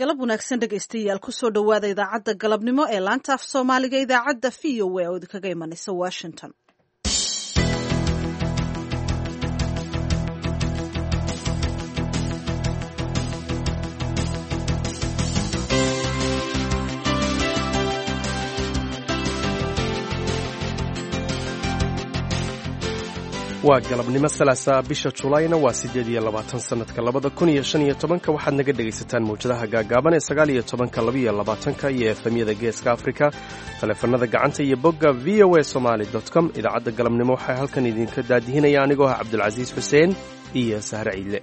Galab wanaagsan, dhegaystayaal. Kusoo dhowaada idaacadda galabnimo ee laanta af Soomaaliga, idaacadda VOA oo idinkaga imanaysa Washington. Waa galabnimo Salaasa, bisha Julayna waa 28, sanadka 2015. Waxaad naga dhegaysataan mawjadaha gaagaaban ee 19-ka, 22-ka iyo FM-yada Geeska Afrika, taleefanada gacanta iyo bogga VOA Somali com. Idaacadda galabnimo waxaa halkan idinka daadihinaya anigoo ah Cabdulcasiis Xuseen iyo Sahre Ciidle.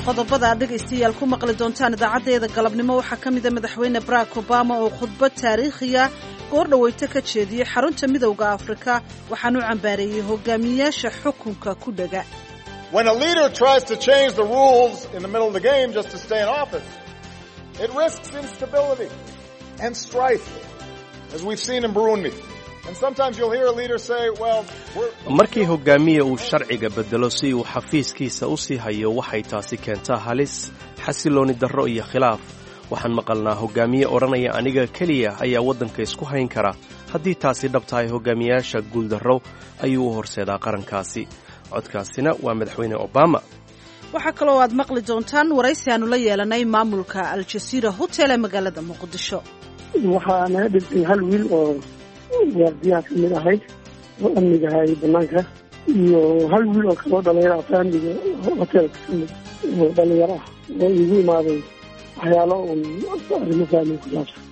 Qodobada aad dhegaystayaal ku maqli doontaan idaacaddeeda galabnimo waxaa ka mida Madaxweyne Barack Obama oo khudbad taariikhiya goor dhaweyto ka jeediyey xarunta Midowda Afrika. Waxaanu cambaareeyey hogaamiyayaasha xukunka ku dhega. When a leader tries to change the rules in the middle of the game just to stay in office, it risks instability and strife, as we've seen in Burundi. And sometimes you'll hear a leader say, well, we're Markii hogaamiye uu sharciga bedelo si uu xafiiskiisa u sii hayo, waxay taasi keentaa halis, xasilooni darro iyo khilaaf. Waxaan maqalnaa hogaamiye odhanaya, "Aniga keliya ayaa waddanka isku hayn kara." Haddii taasi dhab tahay, hogaamiyayaasha guuldarro ayuu u horseedaa qarankaasi. Codkaasina waa Madaxweyne Obama. Waxaa kaloo aad maqli doontaan waraysi aanu la yeelanay maamulka Aljaziira Hotel ee magaalada Muqdisho. Waxaa naga dhintay hal wiil oo waardiyaha ka mid ahayd oo amniga hayay banaanka, iyo hal wiil oo kaloo dhalinyaro ah, faamiliga hotelka ka mid oo dhalinyaro ah, oo iigu imaaday waxyaalo uun arrimo faamili ku saabsan.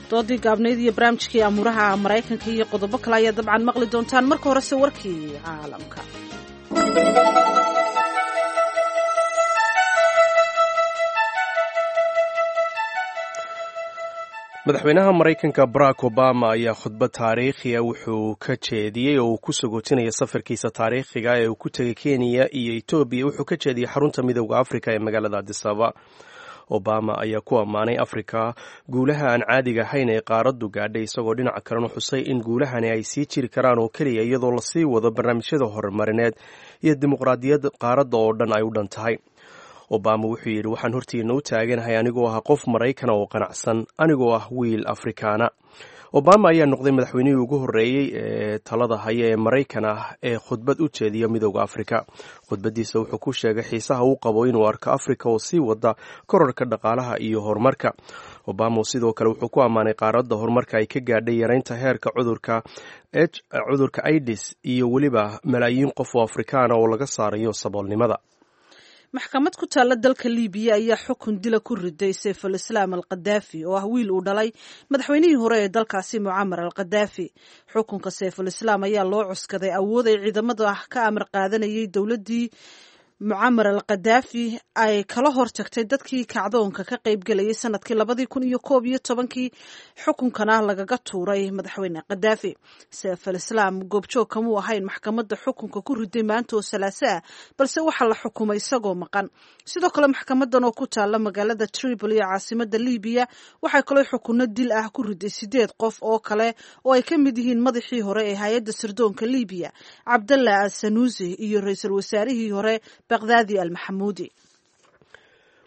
Doodii gaabnayd iyo barnaamijkii amuuraha Maraykanka iyo qodobo kale ayaa dabcan maqli doontaan. Marka horese warkii caalamka. Madaxweynaha Maraykanka Barack Obama ayaa khudbad taariikhiya wuxuu ka jeediyey oo uu ku sagootinaya safarkiisa taariikhiga ee uu ku tegay Kenya iyo Etoobiya. Wuxuu ka jeediyey xarunta Midowda Afrika ee magaalada Adisaba. Obama ayaa ku ammaanay Afrika guulaha aan caadiga ahayn ee qaaraddu gaadhay, isagoo dhinaca kalena xusay in guulahani ay sii jiri karaan oo keliya iyadoo lasii wado barnaamijyada horumarineed iyo dimuqraadiyad qaaradda oo dhan ay u dhan tahay. Obama wuxuu yidhi: "Waxaan hortiina u taaganahay anigoo ah qof Maraykana oo qanacsan, anigoo ah wiil Afrikaana." Obama ayaa noqday madaxweynihii ugu horreeyey ee talada haya ee Maraykan ah ee khudbad u jeediya Midowda Afrika. Khudbaddiisa wuxuu ku sheegay xiisaha uu qabo inuu arko Afrika oo sii wada korarka dhaqaalaha iyo horumarka. Obama sidoo kale wuxuu ku ammaanay qaaradda horumarka ay ka gaadhay yareynta heerka cudurka AIDS iyo weliba malaayiin qof oo Afrikaana oo laga saarayo saboolnimada. Maxkamad ku taalla dalka Libiya ayaa xukun dila ku riday Sayful Islaam al Khadaafi, oo ah wiil uu dhalay madaxweynihii hore ee dalkaasi, Mucamar al Khadaafi. Xukunka Sayful Islaam ayaa loo cuskaday awood ay ciidamada ka amar qaadanayay dowladdii Mucamar al Khadaafi ay kala hortagtay dadkii kacdoonka ka qaybgelayay sanadkii 2011-kii, xukunkana lagaga tuuray madaxweyne Khadaafi. Sayfal Islaam goobjoog kamuu ahayn maxkamadda xukunka ku riday maanta oo Salaaso ah, balse waxaa la xukumay isagoo maqan. Sidoo kale maxkamadan oo ku taala magaalada Tripoli ee caasimada Libiya waxay kaloo xukunno dil ah ku riday sideed qof oo kale, oo ay ka mid yihiin madaxii hore ee hay-adda sirdoonka Libiya, Cabdallah al Sanuusi, iyo ra-iisul wasaarihii hore, Baqdaadi al Maxamuudi.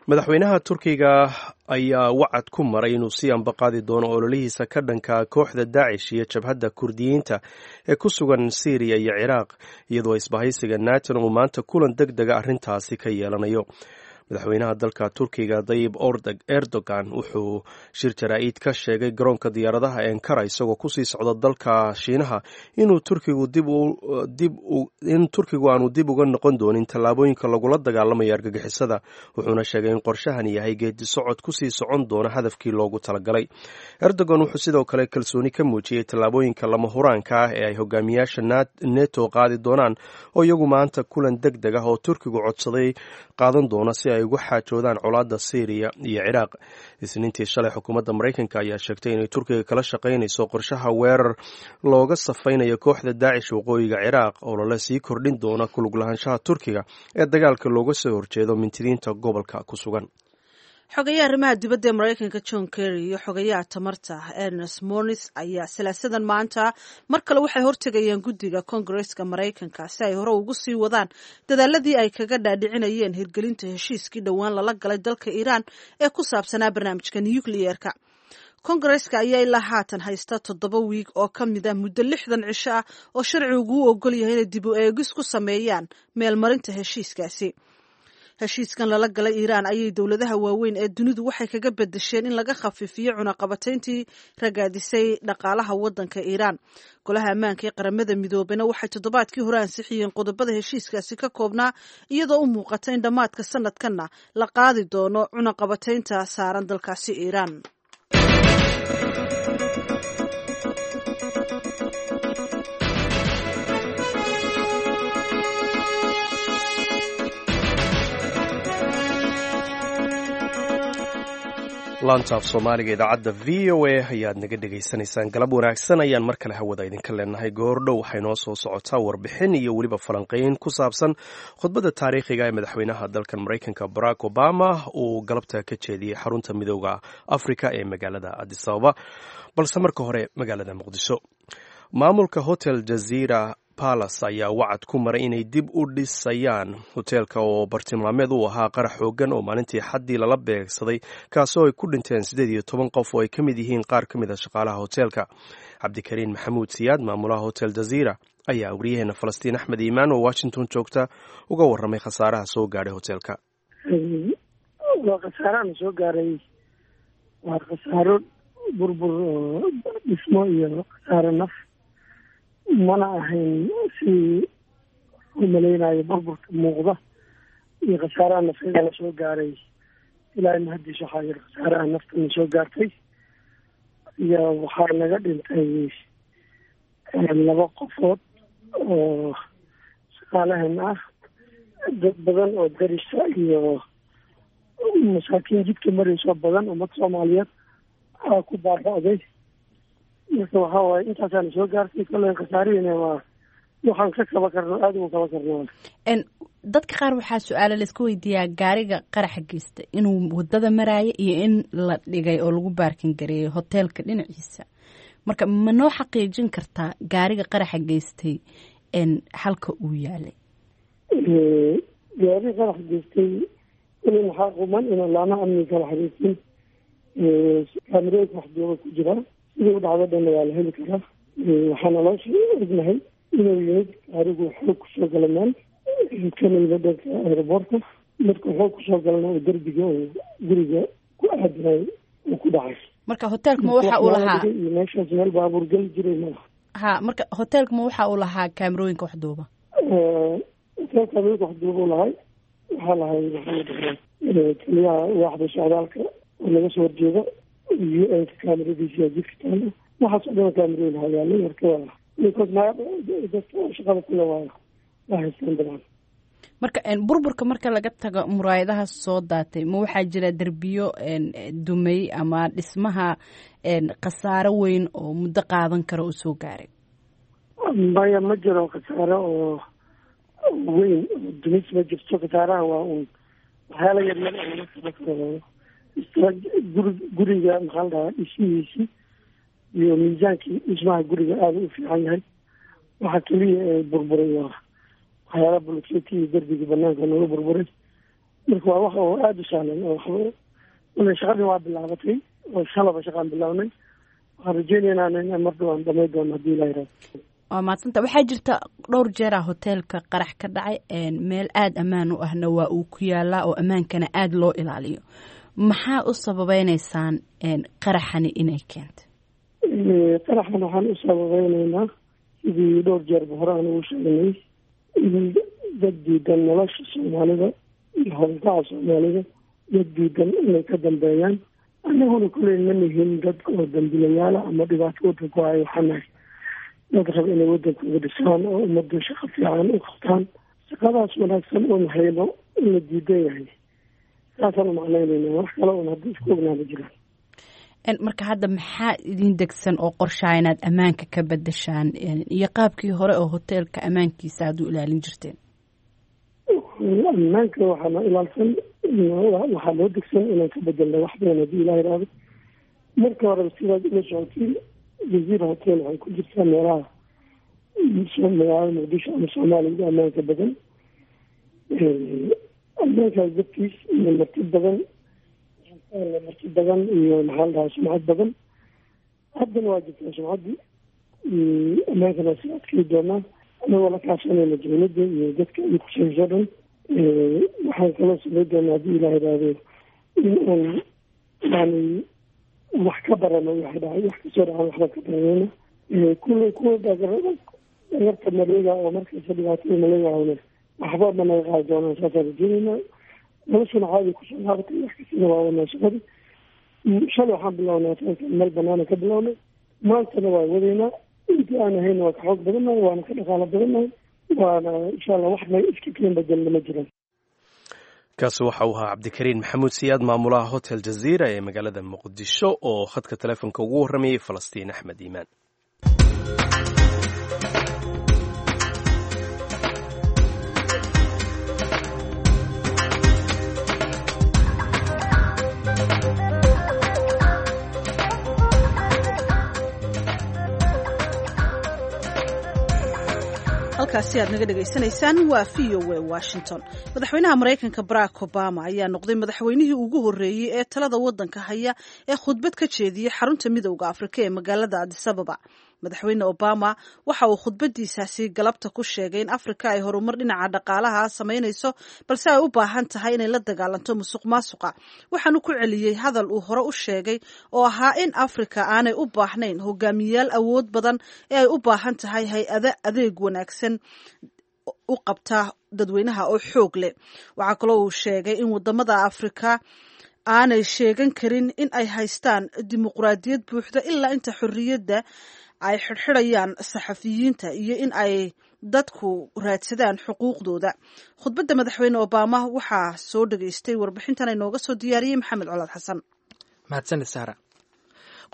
Madaxweynaha Turkiga ayaa wacad ku maray inuu sii ambaqaadi doono ololihiisa ka dhanka kooxda Daacish iyo jabhadda Kurdiyiinta ee ku sugan Siiriya iyo Ciraaq, iyadoo isbahaysiga Naton uu maanta kulan deg dega arrintaasi ka yeelanayo. Madaxweynaha dalka Turkiga, Dayib Erdogan, wuxuu shir jaraa'id ka sheegay garoonka diyaaradaha Ankara, isagoo kusii socda dalka Shiinaha, inuu Turkigu in Turkigu aanu dib uga noqon doonin tallaabooyinka lagula dagaalamayo argagixisada. Wuxuuna sheegay in qorshahan yahay geedi socod kusii socon doona hadafkii loogu talagalay. Erdogan wuxuu sidoo kale kalsooni ka muujiyey tallaabooyinka lama huraanka ah ee ay hogaamiyaasha Neto qaadi doonaan, oo iyagu maanta kulan deg deg ah oo Turkigu codsaday qaadan doona si ay uga xaajoodaan colaadda Syriya iyo Ciraaq. Isniintii shalay, xukuumadda Maraykanka ayaa sheegtay inay Turkiga kala shaqaynayso qorshaha weerar looga safaynayo kooxda Daacish waqooyiga Ciraaq, oo lala sii kordhin doona kulug lahaanshaha Turkiga ee dagaalka looga soo horjeedo mintidiinta gobolka ku sugan. Xogayaha arrimaha dibadda ee Maraykanka John Kerry iyo xogayaha tamarta Ernest Moniz ayaa salaasadan maanta mar kale waxay hortegayaan guddiga Koongareeska Maraykanka si ay hore ugu sii wadaan dadaaladii ay kaga dhaadhicinayeen hirgelinta heshiiskii dhowaan lala galay dalka Iiraan ee ku saabsanaa barnaamijka nukliyeerka. Koongareeska ayaa ilaa haatan haysta 7 wiig oo ka mid ah muddo 60 cisho ah oo sharcigu u ogol yahay inay dib u eegis ku sameeyaan meelmarinta heshiiskaasi. Heshiiskan lala galay Iiraan ayay dowladaha waaweyn ee dunidu waxay kaga bedesheen in laga khafiifiyo cunaqabatayntii ragaadisay dhaqaalaha waddanka Iiraan. Golaha ammaanka ee Qaramada Midoobena waxay toddobaadkii hore ansixiyeen qodobada heshiiskaasi ka koobnaa, iyadoo u muuqata in dhammaadka sanadkanna la qaadi doono cunaqabataynta saaran dalkaasi Iiraan. Laantaaf Soomaaliga idaacadda VOA ayaad naga dhegaysanaysaan. Galab wanaagsan ayaan mar kale hawada idinka leenahay. Goordhow waxay noo soo socotaa warbixin iyo weliba falanqeyn ku saabsan khudbadda taariikhiga ee madaxweynaha dalkan Maraykanka Barack Obama uu galabta ka jeediyey xarunta Midooda Afrika ee magaalada Addis Ababa. Balse marka hore magaalada Muqdisho, maamulka Hotel Jazeera Palace ayaa wacad ku maray inay dib u dhisayaan hoteelka oo bartilmaameed u ahaa qarax xoogan oo maalintii xaddii lala beegsaday, kaasoo ay ku dhinteen 18 qof oo ay ka mid yihiin qaar ka mid a shaqaalaha hoteelka. Cabdikariin Maxamuud Siyaad, maamulaha Hotel Jazeera, ayaa wariyaheena Falastiin Axmed Iimaan oo Washington joogta uga warramay khasaaraha soo gaadhay hoteelka. Waa khasaarahan soo gaaray, waa khasaaro burbur oo dhismo iyo khasaaro naf. Mana ahayn si u malaynayo burburka muuqda iyo khasaaraha nafeeda la soo gaaray. Ilaahay mahadiis waxaa yiri khasaaraha naftana soo gaartay iyo waxaa naga dhintay 2 qofood oo shaqaalahan ah, dad badan oo darisa iyo masaakiin jidka marayso badan, ummad Soomaaliyeed aa ku baaba'day. Marka waxaa waaye intaasaana soo gaartay. Kolley khasaarihiina waa waxaan ka kaba karno, aada uga kaba karno. Dadka qaar waxaa su-aala laisku weydiiyaa gaariga qaraxa geysta inuu wadada maraayo iyo in la dhigay oo lagu baarkin gareeyay hoteelka dhinaciisa. Marka ma noo xaqiijin kartaa gaariga qaraxa geystay halka uu yaalay? Gaariga qaraxa geystay kuley maxaa quman inaan laamaha amniga kala xiriirsin, kaamirooyinka waxduuba ku jiraa, sidii u dhacdo dhanna waa la heli karaa. Waxaana loo ognahay inuu yimid gaarigu xoog kusoo gala meel kana yimid dhanka aeroboortka. Marka xoog kusoo galana oo derbiga oo guriga ku aadinay uu ku dhacay. Marka hoteelka ma waxa uu lahaa iyo meeshaas meel baabuur geli jiray malaha. Ha, marka hoteelka ma waxa uu lahaa kaamirooyinka waxduuba? Hoteelka kaamirooyinka waxduuba u lahay, waxaa lahay maxaa la dhahaa taliyaha waaxda socdaalka oo laga soo horjeeda UN-ka kaamiradiisa jidka taalo, waxaas oo dhan kaamirooyin hayaalay. Marka waa dadka shaqada kule waa haystaan dabcan. Marka burburka marka laga tago muraayadaha soo daatay, ma waxaa jira derbiyo dumay ama dhismaha khasaaro weyn oo muddo qaadan kara oo soo gaaray? Maya, ma jiro khasaaro oo weyn oo dumis ma jirto. Khasaaraha waa uun waxyaala yaryar oo laga kaba karo. Guriga maxaa la dhahaa dhismihiisi iyo miisaankii dhismaha guriga aada u fiican yahay. Waxa keliya ee burburay waa waxyaala bulkeeti iyo derbiga banaanka nooga burburay. Marka waa wax oo aada u sahlan oo waxba. Shaqadii waa bilaabatay oo shalaba shaqaan bilaabnay. Waxaan rajeynaynaa in mar dhow aan dhamay doono haddii Ilaah yiraahdo. Waa maadsanta. Waxaa jirta dhowr jeeraa hoteelka qarax ka dhacay, meel aada ammaan u ahna waa uu ku yaalaa oo ammaankana aada loo ilaaliyo. Maxaa u sababeyneysaan qaraxani inay keentay? Qaraxan waxaan u sababeyneynaa sidii dhowr jeerba hore aan ugu sheegnay in dad diidan nolosha Soomaalida iyo howlgaca Soomaalida, dad diidan inay ka dambeeyaan. Annaguna kuley ma nihin dad oo dambilayaala ama dhibaato waddanku hayo. Waxaa nahay dad raba inay waddanka uga dhisaan oo ummadda shaqo fiican u qabtaan. Shaqadaas wanaagsan oon hayno in la diidan yahay saasaan u macnaynayna, wax kale oon hadda isku ognaa ma jiraan. Marka hadda maxaa idin degsan oo qorshaa inaad ammaanka ka bedeshaan iyo qaabkii hore oo hoteelka ammaankiisa aad u ilaalin jirteen? Ammaanka waxaana ilaalsan Waxaa loo degsan inaan ka bedelna wax badan haddii Ilaah yidhaahdo. Marka horeba sidaad ula socotiin, Jazeera Hotel waxay ku jirtaa meelaha magaalada Muqdisho ama Soomaaliya ugu ammaanka badan. Ammaankaas dartiis iyo marti badan, marti badan iyo, maxaa la dhahaa, sumcad badan. Haddana waa jirtaa sumcaddii, ammaankana waa sii adkii doonaa, anagoo la kaashanayna dowladda iyo dadka ay khusayso dhan. Waxaan kaloo samey doonaa, haddii Ilaah yidhaahdo, in aan yani wax ka barano waxay dhacay, wax kasoo dhacan waxbaan ka baranayna. Kulley kuwa dhagarta maleega oo markasta dhibaatada maleegahona waxba ma naga qaadi doonaan, saasaan rajeynaynaa. Noloshuna caadi kusoo laabatay, wax kastana waa wadnaa shaqadii. Shalay waxaan bilownay hoteelka meel banaana ka bilownay, maantana waa wadaynaa. Intii aan ahayna waa ka xoog badannahay, waana ka dhaqaalo badannahay, waana insha Allah wax naga iska keen bedelna ma jiraan. Kaasi waxa uu ahaa Cabdikariin Maxamuud Siyaad, maamulaha Hotel Jaziira ee magaalada Muqdisho, oo khadka telefoonka ugu warramayay Falastiin Axmed Iimaan. Halkaasi aad naga dhegaysanaysaan waa VOA Washington. Madaxweynaha Maraykanka Barack Obama ayaa noqday madaxweynihii ugu horreeyey ee talada waddanka haya ee khudbad ka jeediyey xarunta Midowda Afrika ee magaalada Adisababa. Madaxweyne Obama waxa uu khudbadiisaasi galabta ku sheegay in Afrika ay horumar dhinaca dhaqaalaha samaynayso, balse ay u baahan tahay inay la dagaalanto musuq maasuqa. Waxaanu ku celiyey hadal uu hore u sheegay oo ahaa in Afrika aanay u baahnayn hogaamiyayaal awood badan ee ay u baahan tahay hay-ado adeeg wanaagsan u qabta dadweynaha oo xoog leh. Waxaa kaloo uu sheegay in wadamada Afrika aanay sheegan karin in ay haystaan dimuqraadiyad buuxda ilaa inta xorriyadda ay xidhxidhayaan saxafiyiinta iyo in ay dadku raadsadaan xuquuqdooda. Khudbadda Madaxweyne Obama waxaa soo dhageystay warbixintan inooga soo diyaariyey Maxamed Colaad Xasan. Mahadsanid, Sahra.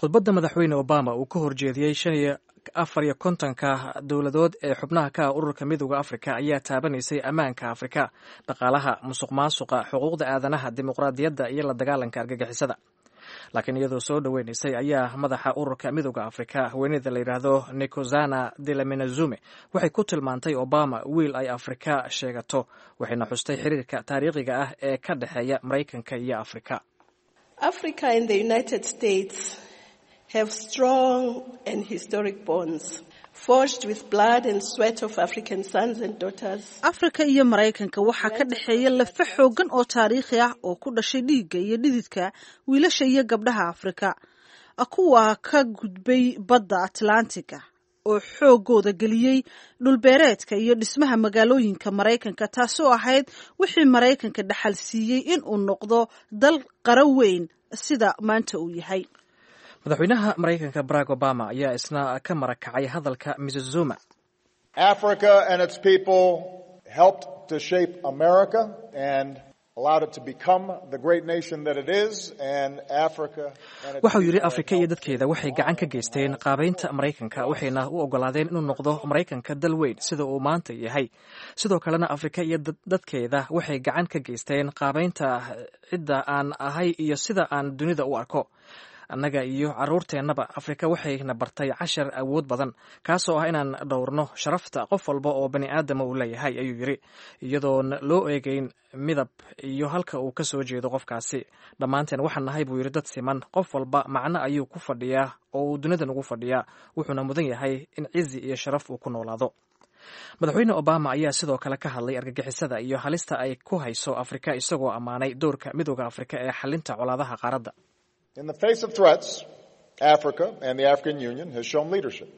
Khudbadda Madaxweyne Obama uu ka horjeediyey 55-ka dowladood ee xubnaha ka ah ururka Midowda Afrika ayaa taabanaysay ammaanka Afrika, dhaqaalaha, musuq maasuqa, xuquuqda aadanaha, dimuqraadiyadda iyo la dagaalanka argagixisada. Laakiin iyadoo soo dhoweynaysay ayaa madaxa ururka Midowda Afrika, haweeneyda la yidhaahdo Nkosazana Dlamini-Zuma, waxay ku tilmaantay Obama wiil ay Afrika sheegato, waxayna xustay xiriirka taariikhiga ah ee ka dhexeeya Maraykanka iyo Afrika. Africa and the United States have strong and historic bonds forged with blood and sweat of African sons and daughters. Afrika iyo Maraykanka waxaa ka dhexeeya lafa xoogan oo taariikhi ah oo ku dhashay dhiigga iyo dhididka wiilasha iyo gabdhaha Afrika, kuwa ka gudbay badda Atlantiga oo xoogooda geliyey dhulbeereedka iyo dhismaha magaalooyinka Maraykanka, taasoo ahayd wixii Maraykanka dhaxal siiyey in uu noqdo dal qaro weyn sida maanta uu yahay. Madaxweynaha Maraykanka Barack Obama ayaa isna ka marakacay hadalka Mrs Zuma. Africa and its people helped to shape America and allowed it to become the great nation that it is, and Africa and its Waxauu yidhi, Afrika iyo dadkeeda waxay gacan ka geysteen qaabaynta Maraykanka, waxayna u ogolaadeen inuu noqdo Maraykanka dal weyn sida uu maanta yahay. Sidoo kalena Afrika iyo dadkeeda waxay gacan ka geysteen qaabaynta cidda aan ahay iyo sida aan dunida u arko. Annaga iyo carruurteennaba Afrika waxayna bartay cashar awood badan, kaasoo ah inaan dhowrno sharafta qof walba oo bani aadama uu leeyahay, ayuu yidhi, iyadoon loo eegeyn midab iyo halka uu ka soo jeedo qofkaasi. Dhammaanteen waxaan nahay, buu yidhi, dad siman. Qof walba macno ayuu ku fadhiyaa oo uu dunidan ugu fadhiyaa, wuxuuna mudan yahay in cizi iyo sharaf uu ku noolaado. Madaxweyne Obama ayaa sidoo kale ka hadlay argagixisada iyo halista ay ku hayso Afrika, isagoo ammaanay doorka Midowda Afrika ee xalinta colaadaha qaaradda. In the face of threats, Africa and the African Union has shown leadership.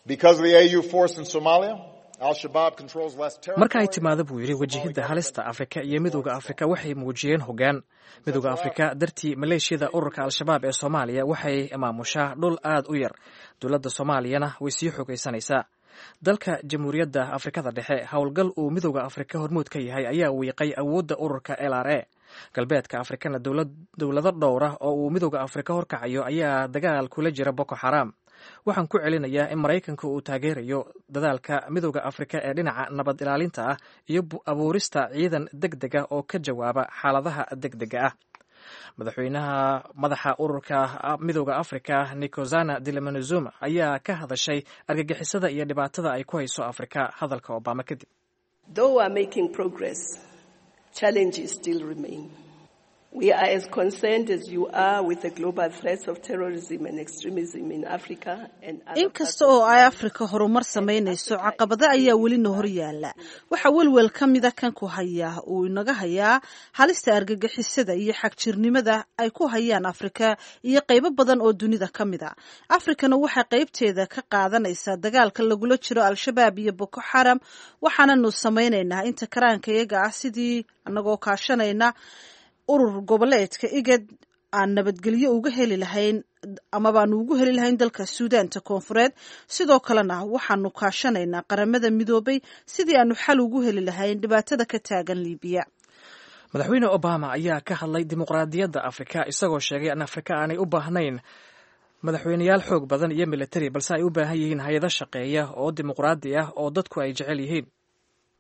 Because of the AU force in Somalia, Al-Shabaab controls less territory. Marka ay timaado, buu yidhi, wajahidda halista, Afrika iyo Midowda Afrika waxay muujiyeen hoggaan. Midowda Afrika dartii, maleeshiyada ururka Al-Shabaab ee Soomaaliya waxay maamushaa dhul aad u yar, dowladda Soomaaliyana way sii xogaysanaysaa. Dalka Jamhuuriyadda Afrikada Dhexe, howlgal uu Midowda Afrika hormuud ka yahay ayaa wiiqay awoodda ururka LRA. Galbeedka Afrikana, dowlado dhowra oo uu Midowda Afrika horkacayo ayaa dagaal kula jira Boko Xaraam. Waxaan ku celinayaa in Maraykanka uu taageerayo dadaalka Midowda Afrika ee dhinaca nabad ilaalinta ah iyo abuurista ciidan deg dega oo ka jawaaba xaaladaha deg dega ah. Madaxweynaha madaxa ururka Midowda Afrika, Nikozana Dlamini Zuma, ayaa ka hadashay argagixisada iyo dhibaatada ay ku hayso Afrika hadalka Obama kadib. Though we are making progress, challenges still remain. We are as concerned as you are with the global threats of terrorism and extremism in Africa and other Inkasta oo ay Afrika horumar samaynayso, caqabado ayaa welina hor yaala. Waxaa welwel ka mida kan ku hayaa uu inaga hayaa halista argagixisada iyo xagjirnimada ay ku hayaan Afrika iyo qaybo badan oo dunida ka mida. Afrikana waxay qaybteeda ka qaadanaysaa dagaalka lagula jiro Al-Shabaab iyo Boko Xaram, waxaananu samaynaynaa inta karaanka iyaga ah sidii anagoo kaashanayna urur goboleedka IGAD aan nabadgelyo uga heli lahayn amabaanu ugu heli lahayn dalka Suudaanta Koonfureed. Sidoo kalena waxaanu kaashanaynaa Qaramada Midoobay sidii aanu xal ugu heli lahayn dhibaatada ka taagan Liibiya. Madaxweyne Obama ayaa ka hadlay dimuqraadiyadda Afrika, isagoo sheegay in Afrika aanay u baahnayn madaxweyneyaal xoog badan iyo militari, balse ay u baahan yihiin hay-ado shaqeeya oo dimuqraadi ah oo dadku ay jecel yihiin.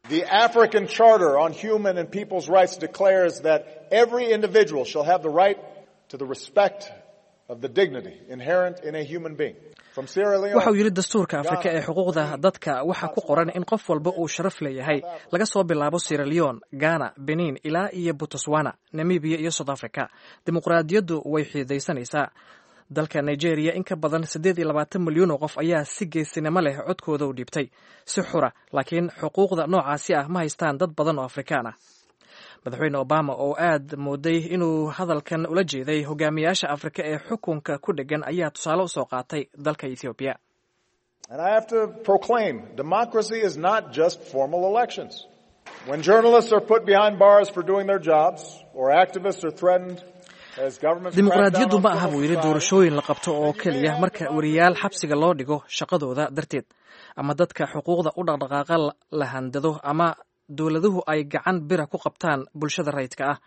The African Charter on Human and People's Rights declares that every individual shall have the right to the respect of the dignity inherent in a human being. From Sierra Leone, Waxa uu yidhi, dastuurka Afrika ee xuquuqda dadka waxaa ku qoran in qof walba uu sharaf leeyahay, laga soo bilaabo Sierra Leone, Ghana, Benin ilaa iyo Botswana, Namibia iyo South Africa. Dimuqraadiyaddu way xididaysanaysaa. Dalka Nigeria in ka badan 28 milyan oo qof ayaa si geesinimo leh codkooda u dhiibtay si xura, laakiin xuquuqda noocaasi ah ma haystaan dad badan oo Afrikaan ah. Madaxweyne Obama oo aad mooday inuu hadalkan ula jeeday hogaamiyaasha Afrika ee xukunka ku dheggan ayaa tusaale usoo qaatay dalka Ethoobiya. And I have to proclaim, democracy is not just formal elections. When journalists are put behind bars for doing their jobs, or activists are threatened as governments crack down Dimuqraadiyaddu on ma aha, civil buu yidhi, society, doorashooyin la qabto oo keliya. Marka weriyaal xabsiga loo dhigo shaqadooda darteed, ama dadka xuquuqda u dhaqdhaqaaqa la handado, ama dowladuhu ay gacan bira ku qabtaan bulshada rayidka ah,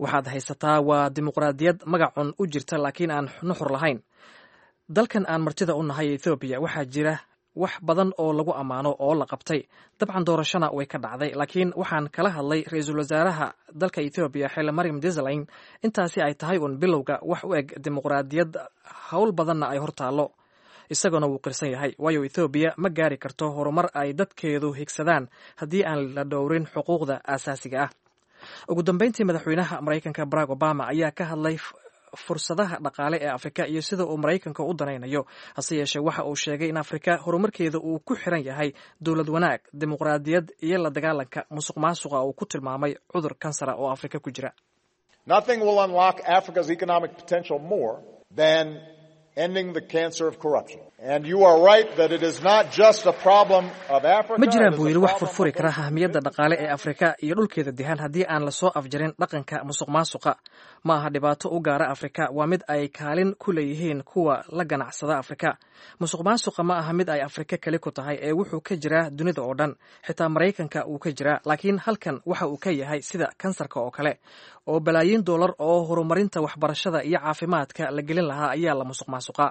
waxaad haysataa waa dimuqraadiyad magacun u jirta laakiin aan nuxur lahayn. Dalkan aan martida u nahay, Ethoobiya, waxaa jira wax badan oo lagu ammaano oo la qabtay. Dabcan doorashona way ka dhacday, laakiin waxaan kala hadlay ra-iisul wasaaraha dalka Ethoobiya, Xile Mariam Desalegn, intaasi ay tahay uun bilowga wax u eg dimuqraadiyad, howl badanna ay hortaallo. Isaguna wuu qirsan yahay, waayo Ethoobiya ma gaari karto horumar ay dadkeedu higsadaan haddii aan la dhowrin xuquuqda aasaasiga ah. Ugu dambeyntii, madaxweynaha Maraykanka Barack Obama ayaa ka hadlay fursadaha dhaqaale ee Afrika iyo sida uu Maraykanka u danaynayo. Hase yeeshee, waxa uu sheegay in Afrika horumarkeeda uu ku xiran yahay dowlad wanaag, dimuqraadiyad iyo la dagaalanka musuq maasuqa uu ku tilmaamay cudur kansara oo Afrika ku jira. Nothing will unlock Africa's economic potential more than ending the cancer of corruption. And you are right that it is not just a problem of Africa. Ma jiraan, It is buu a yidhi, wax problem furfuri of kara those ahmiyadda dhaqaale ee Afrika iyo dhulkeeda dihan haddii aan lasoo afjarin dhaqanka musuq maasuqa. Ma aha dhibaato u gaara Afrika, waa mid ay kaalin ku leeyihiin kuwa la ganacsada Afrika. Musuq maasuqa ma aha mid ay Afrika keli ku tahay ee wuxuu ka jiraa dunida oo dhan, xitaa Maraykanka wuu ka jiraa, laakiin halkan waxa uu ka yahay sida kansarka oo kale, oo balaayiin doolar oo horumarinta waxbarashada iyo caafimaadka la gelin lahaa ayaa la musuq maasuqa.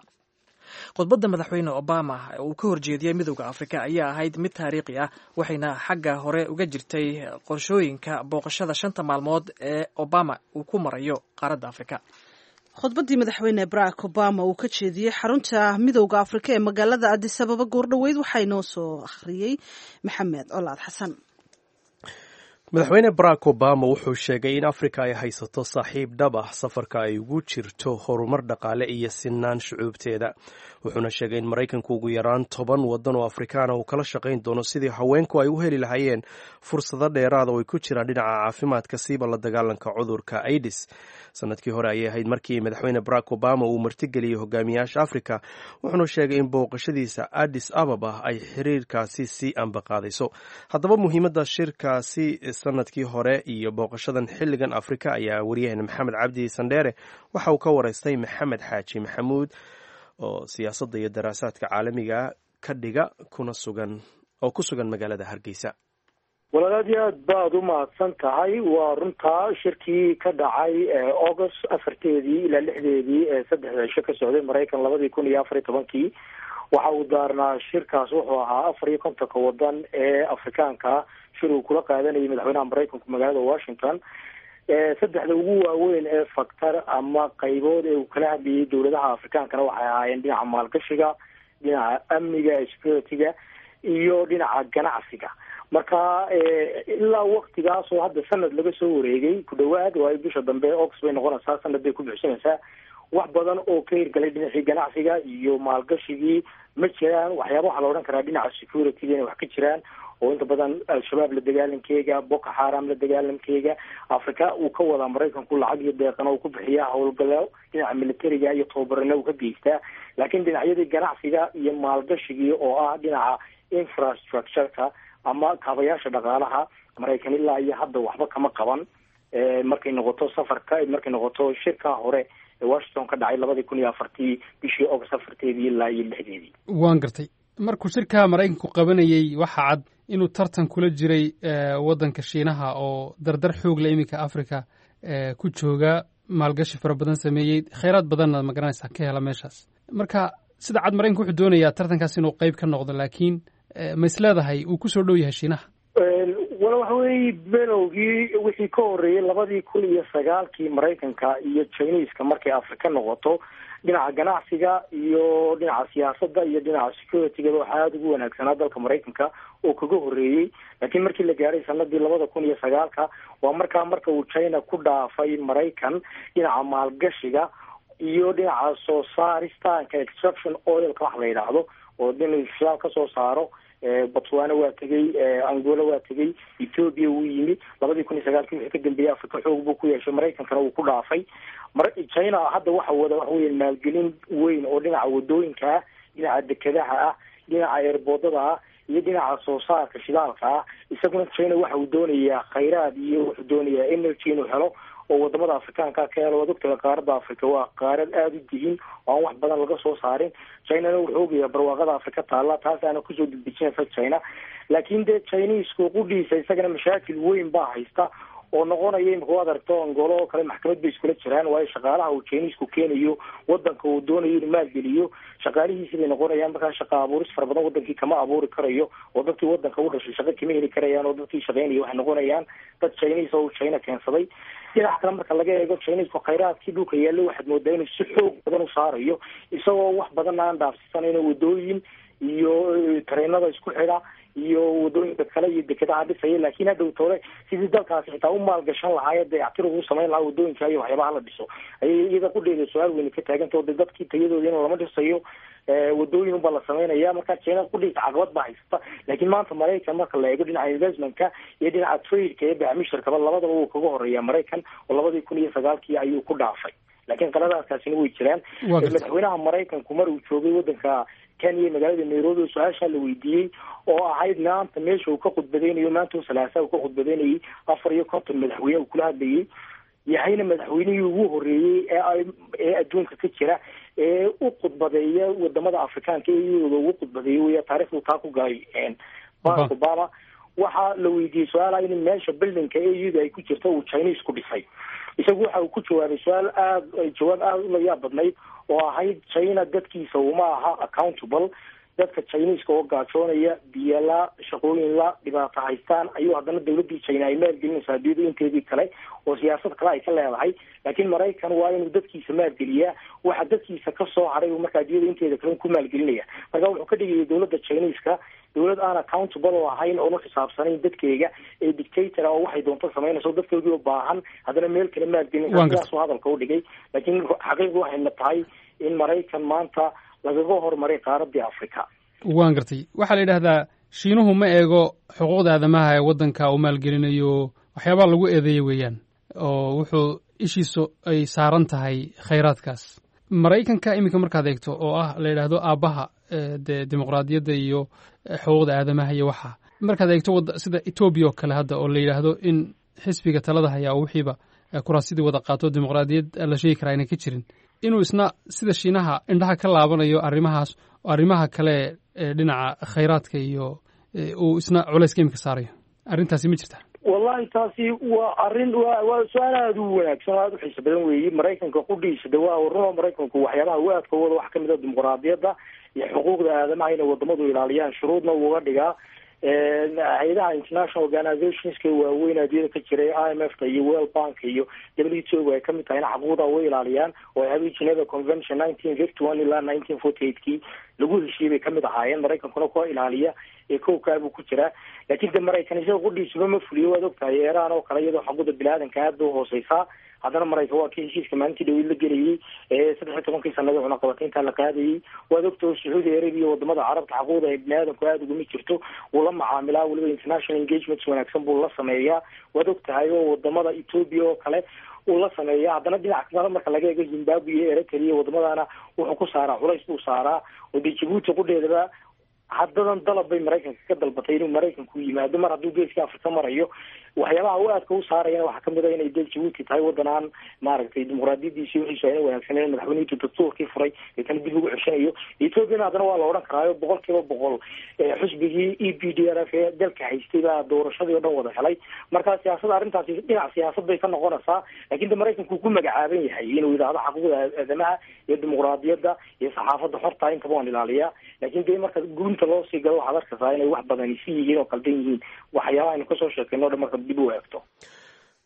Khudbadda madaxweyne Obama uu ka horjeediyey Midowda Afrika ayaa ahayd mid taariikhi ah, waxayna xagga hore uga jirtay qorshooyinka booqashada 5-ta maalmood ee Obama uu ku marayo qaaradda Afrika. Khudbaddii madaxweyne Barack Obama uu ka jeediyey xarunta Midowda Afrika ee magaalada Addis Ababa goordhoweyd waxaa inoo soo akhriyey Maxamed Colaad Xasan. Madaxweyne Barack Obama wuxuu sheegay in Afrika ay haysato saaxiib dhab ah safarka ay ugu jirto horumar dhaqaale iyo sinaan shucuubteeda, wuxuuna sheegay in Maraykanku ugu yaraan 10 waddan oo Afrikaana uu kala shaqayn doono sidii haweenku ay u heli lahaayeen fursado dheeraada oo ay ku jiraan dhinaca caafimaadka, siiba la dagaalanka cudurka AIDS. Sanadkii hore ayay ahayd markii madaxweyne Barack Obama uu martigeliyey hogaamiyaasha Afrika, wuxuuna sheegay in booqashadiisa Addis Ababa ay xiriirkaasi sii ambaqaadayso. Haddaba, muhiimadda shirkaasi sanadkii hore iyo booqashadan xilligan Afrika ayaa waryaheena Maxamed Cabdi Sandheere waxa uu ka waraystay Maxamed Xaaji Maxamuud oo siyaasadda iyo daraasaadka caalamiga ka dhiga kuna sugan oo ku sugan magaalada Hargeysa. Walaal, aad iyo aad baad u mahadsan tahay. Waa runtaa, shirkii ka dhacay August 4-teedii ilaa 6-deedii ee 3-da cisho ka socday Maraykan 2014-kii, waxa uu daarnaa shirkaas, wuxuu ahaa 54-ka wadan ee Afrikaanka shir uu kula qaadanayay madaxweynaha Maraykanku magaalada Washington. Saddexda ugu waaweyn ee factor ama qaybood ee uu kala hadlayay dowladaha Afrikaankana waxay ahaayeen dhinaca maalgashiga, dhinaca amniga, security-ga, iyo dhinaca ganacsiga. Marka ilaa waktigaas oo hadda sanad laga soo wareegay ku dhawaad, waayo bisha dambe August bay noqonaysaa, sanad bay ku buuxsanaysaa, wax badan oo ka hirgalay dhinacii ganacsiga iyo maalgashigii ma jiraan. Waxyaaba waxaa la odhan karaa dhinaca security-ga inay wax ka jiraan, oo inta badan Al-Shabaab la dagaalankeega, Boko Xaram la dagaalankeega, Africa uu ka wadaa Maraykanku lacag iyo deeqana uu ku bixiyaa, howlgalo dhinaca militariga iyo tababarana uu ka geystaa, laakiin dhinacyadii ganacsiga iyo maalgashigii oo ah dhinaca infrastructure-ka ama kaabayaasha dhaqaalaha, Maraykan ilaa iyo hadda waxba kama qaban markay noqoto safarka, markay noqoto shirka hore ee Washington ka dhacay 2004-tii bishii August 4-teedii ilaa iyo 6-deedii. Waan gartay. Markuu shirka Maraykanku qabanayey, waxaa cad inuu tartan kula jiray waddanka Shiinaha oo dardar xoog la iminka Africa ku jooga, maalgashi fara badan sameeyey, khayraad badanna magaranaysaa ka hela meeshaas. Marka sida cad, Maraykanku wuxuu doonayaa tartankaas inuu qayb ka noqdo, laakiin ma is leedahay uu kusoo dhow yahay Shiinaha? Wala, waxa weeye, belowgii wixii ka horreeyey 2009-kii, Maraykanka iyo Chineska markay Afrika noqoto dhinaca ganacsiga iyo dhinaca siyaasadda iyo dhinaca security-gaba, waxaa aada ugu wanaagsanaa dalka Maraykanka oo kaga horreeyey. Laakiin markii la gaaray sanadii 2009-ka, waa markaa marka uu China ku dhaafay Maraykan dhinaca maalgashiga iyo dhinaca soo saaristaanka, extraction oilka wax la yidhaahdo, oo in shidaal ka soo saaro. Botswana waa tegey, Angola waa tegey, Ethiopia wuu yimi. 2009-kii wixii ka dambeeyey Africa xoog buu ku yeeshay, Maraykankana wuu ku dhaafay. China hadda waxa wada waxa weya maalgelin weyn oo dhinaca wadooyinka ah, dhinaca dekedaha ah, dhinaca airportada ah iyo dhinaca soo saarka shidaalka ah. Isaguna China waxa uu doonayaa khayraad iyo wuxuu doonayaa energy inuu helo oo wadamada Afrikaanka ka helo. Waad ogtahay, qaaradda Africa waa qaarad aada u dihin oo aan wax badan laga soo saarin. Chinana wuxuu ogayaa barwaaqada Afrika taalla, taas aana kusoo dedejinaysa China. Laakiin dee Chinesku qudhiisa isagana mashaakil weyn baa haysta oo noqonaya imika waad aragto Angola oo kale maxkamad bay iskula jiraan, waayo shaqaalaha uu Chinesku keenayo wadanka uu doonayo inuu maalgeliyo shaqaalihiisi bay noqonayaan. Markaa shaqa abuuris fara badan wadankii kama abuuri karayo, oo dadkii wadanka u dhashay shaqo kama heli karayaan, oo dadkii shaqeynaya waxay noqonayaan dad Chinese oo uu China keensaday. Dhinac kale marka laga eego, Chinesku khayraadkii dhulka yaallo waxaad moodaa inuu si xoog badan u saarayo, isagoo wax badan aan dhaafsisanayno, wadooyin iyo tareenada isku xidha iyo wadooyinka kale iyo dekedaha dhisaya, laakiin hadhow tole sidii dalkaasi xitaa u maalgashan lahaa, dayactir ugu samayn lahaa wadooyinka iyo waxyaabaha la dhiso, ayay iyada qudheeda su-aal weyne ka taaganta. Oo de dadkii tayadooda in lama dhisayo, wadooyin unbaa la samaynaya. Marka China qudhiisa caqabad baa haysata. Laakiin maanta Maraykan marka la eego dhinaca investmentka iyo dhinaca tradeka iyo bacmisharkaba, labadaba wuu kaga horeeya Maraykan, oo 2009-kii ayuu ku dhaafay, laakiin qaladaadkaasina way jiraan. Madaxweynaha Maraykanku mar uu joogay wadanka Kenya, magaalada Nairobi, su-aashaa la weydiiyey oo ahayd maanta meesha uu ka khudbadeynayo, maanta Salaasa uu ka khudbadeynayay, 54 madaxweyne uu kula hadlayay, yahayna madaxweynihii ugu horreeyey ee adduunka ka jira ee u khudbadeeya wadamada Afrikaanka ee iyadooda ugu khudbadeeyay wey, taarikhdu taa ku galay Barack Obama. Waxaa la weydiiyey su-aala in meesha buildingka AU-da ay ku jirto uu Chinese ku dhisay. Isagu waxa uu ku jawaabay su-aal aad jawaab aada u layaab badnayd oo ahayd China dadkiisa uma aha accountable. Dadka Chineska oo gaajoonaya, biyala, shaqooyin la dhibaato haystaan, ayuu haddana dawladdii China ay maalgelinaysaa adduunyada inteedii kale oo siyaasad kale ay ka leedahay. Laakiin Maraykan waa inuu dadkiisa maalgeliyaa, waxa dadkiisa ka soo haray uu marka adduunyada inteeda kale ku maalgelinaya. Marka wuxuu ka dhigayay dawladda Chineska dawlad aan accountable oo ahayn, oon uxisaabsanayn dadkeega, ee dictator oo waxay doonto samaynayso, dadkoodii oo baahan haddana meel kale maalgelinaysa. Sidaasuu hadalka u dhigay, laakiin xaqiiqdu waxayna tahay in Maraykan maanta lagaga horumaray qaaradii Africa. Waan gartay. Waxaa la yidhahdaa Shiinuhu ma eego xuquuqda aadamaha ee waddanka uu maalgelinayo, waxyaabaha lagu eedeeya weeyaan, oo wuxuu ishiisu ay saaran tahay khayraadkaas. Maraykanka iminka markaad eegto, oo ah la yidhaahdo aabbaha dee dimuqraadiyadda iyo xuquuqda aadamaha iyo waxa, markaad eegto sida Etoobiya oo kale hadda, oo la yidhaahdo in xisbiga talada hayaa oo wixiiba kuraasidii wada qaato, dimuqraadiyad la sheegi karaa aynan ka jirin, inuu isna sida Shiinaha indhaha ka laabanayo arrimahaas oo arrimaha kale ee dhinaca khayraadka iyo uu isna culayska iminka saarayo. Arrintaasi ma jirta? Wallahi taasi waa arrin waa su-aal aada u wanaagsan oo aada u xiiso badan weeyi. Maraykanka qudhiisa de waa runoo, Maraykanku waxyaabaha uu aadka wada wax kamid a dimuqraadiyadda iyo xuquuqda aadamaha inay wadamadu ilaaliyaan, shuruudna uuga dhigaa hay-adaha international organizationska waaweyn adduunyada ka jiray, IMF ka iyo World Bank iyo WTO ay kamid tahay, in xaquuqda way ilaaliyaan oo ay Geneva Convention 1951 ilaa 1948 kii lagu heshiiyey bay kamid ahaayeen. Maraykankuna kuwa ilaaliya ee kowkaabuu ku jiraa, laakiin de Maraykan isaga qudhiisuba ma fuliyo. Waad ogtahay Iran oo kale, iyadoo xaquuqda biniaadanka aad bay uhooseysaa, haddana Maraykan waa kii heshiiska maalintii dhaweyd la gelayay ee 13-kii sanada cunaqabataynta la qaadayay. Waad ogtahay Sacuudi Arabia, wadamada Carabta xaquuqda ay biniaadanku aada uguma jirto, wuu la macaamilaa, weliba international engagements wanaagsan buu la sameeyaa. Waad ogtahay oo wadamada Ethiopia oo kale uu la sameeya. Haddana dhinac kale marka laga eego, Zimbabwe iyo Eritrea, wadamadana wuxuu ku saaraa culays buu saaraa. Oo dee Jabuuti qudheedaba haddadan dalab bay Maraykanka ka dalbatay inuu Maraykanku yimaado mar hadduu geeska Afrika marayo. Waxyaabaha u aadka u saarayana waxaa kamid a inay dee Jabuuti tahay waddan aan maaragtay dimuqraadiyadiisi wixiisu ayna wanaagsaneyn, madaxweynihiitu dastuurkii furay deetana dib ugu ceshanayo. Ethoopiana haddana waa la odhan karaayo 100% xusbigii EPDRF ee dalka haystay baa doorashadii o dhan wada helay. Marka siyaasada arrintaasi dhinac siyaasad bay ka noqonaysaa, lakin de Maraykanku ku magacaaban yahay inuu yidhaahdo xaquuqda aadamaha iyo dimuqraadiyadda iyo saxaafadda xorta intaba waan ilaaliyaa. Laakiin dee marka gunta loo sii galo, waxaad arkaysaa inay wax badani si yihiin oo qaldan yihiin waxyaabaha aynu kasoo sheekayno o dhan marka dib u eegto.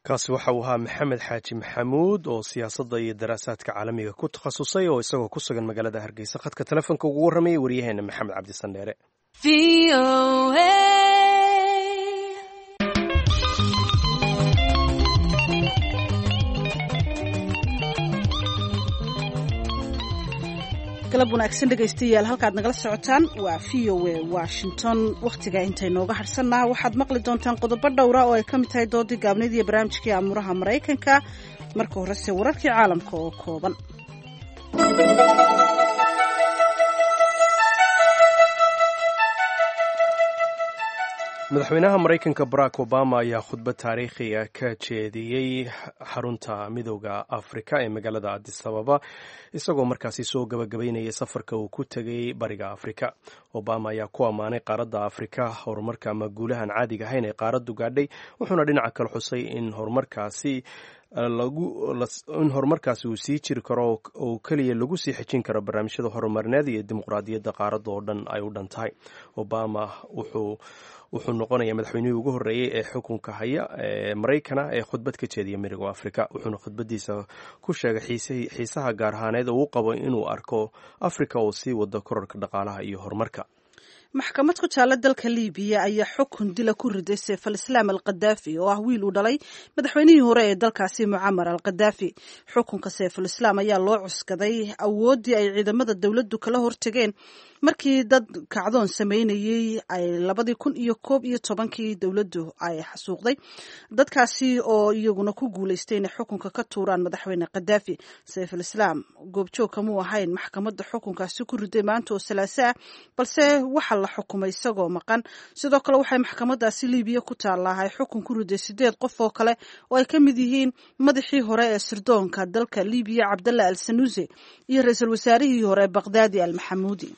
Kaasi waxa uu ahaa Maxamed Xaaji Maxamuud oo siyaasadda iyo daraasaadka caalamiga ku takhasusay, oo isagoo ku sugan magaalada Hargeysa khadka telefoonka ugu warramayay waryaheena Maxamed Cabdisandheere. Galab wanaagsan dhegaystayaal, halkaad nagala socotaan waa VOA Washington. Wakhtiga intaynooga harsannaha waxaad maqli doontaan qodobo dhowra oo ay ka mid tahay doodii gaabneyd iyo barnaamijkii amuuraha Maraykanka. Marka horese wararkii caalamka oo kooban. Madaxweynaha Maraykanka Barack Obama ayaa khudbad taariikhiga ka jeediyey xarunta Midooda Afrika ee magaalada Addis Ababa, isagoo markaasi soo gabagabaynaya safarka uu ku tegay bariga Afrika. Obama ayaa ku ammaanay qaaradda Afrika horumarka ama guulahan caadiga ahayn ee qaaraddu gaadhay, wuxuuna dhinaca kale xusay in horumarkaasi in horumarkaasi uu sii jiri karo oo keliya lagu sii xejin karo barnaamijyada horumarineed iyo dimuqraadiyadda qaaradda oo dhan ay u dhan tahay. Obama wuxuu noqonayaa madaxweynihii ugu horreeyey ee xukunka haya ee Maraykana ee khudbad ka jeediya Midooda Afrika, wuxuuna khudbadiisa ku sheegay xiisaha gaar ahaaneed oo uu qabo inuu arko Afrika oo sii wada kororka dhaqaalaha iyo horumarka. Maxkamad ku taalla dalka Liibiya ayaa xukun dila ku riday Seif al-Islaam al Khadaafi, oo ah wiil uu dhalay madaxweynihii hore ee dalkaasi Mucamar al Khadaafi. Xukunka Seiful-Islaam ayaa loo cuskaday awooddii ay ciidamada dowladdu kala hortageen markii dad kacdoon sameynayey ay 2011-kii dowladdu ay xasuuqday dadkaasi, oo iyaguna ku guuleystay inay xukunka ka tuuraan madaxweyne Khadaafi. Seiful Islaam goobjoog kamuu ahayn maxkamadda xukunkaasi ku riday maanta oo Salaaso ah, balse waxa la xukumay isagoo maqan. Sidoo kale waxay maxkamadaasi Liibiya ku taallaa ay xukun ku riday sideed qof oo kale oo ay ka mid yihiin madaxii hore ee sirdoonka dalka Liibiya Cabdalla al Sanuuse iyo ra-iisul wasaarihii hore Baqdaadi al Maxamuudi.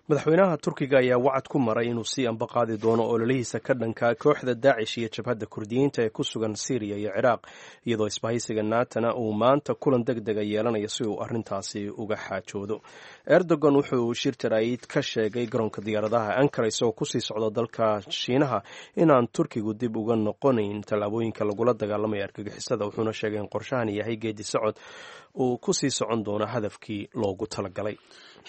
Madaxweynaha Turkiga ayaa wacad ku maray inuu sii ambaqaadi doono ololihiisa ka dhanka kooxda Daacish iyo jabhadda Kurdiyiinta ee ku sugan Siiriya iyo Ciraaq, iyadoo isbahaysiga Naatana uu maanta kulan deg dega yeelanayo si uu arrintaasi uga xaajoodo. Erdogan wuxuu shir jaraa'id ka sheegay garoonka diyaaradaha Ankara isagoo kusii socda dalka Shiinaha inaan Turkigu dib uga noqonayn tallaabooyinka lagula dagaalamayo argagixisada, wuxuuna sheegay in qorshahan yahay geedi socod uu kusii socon doono hadafkii loogu talagalay.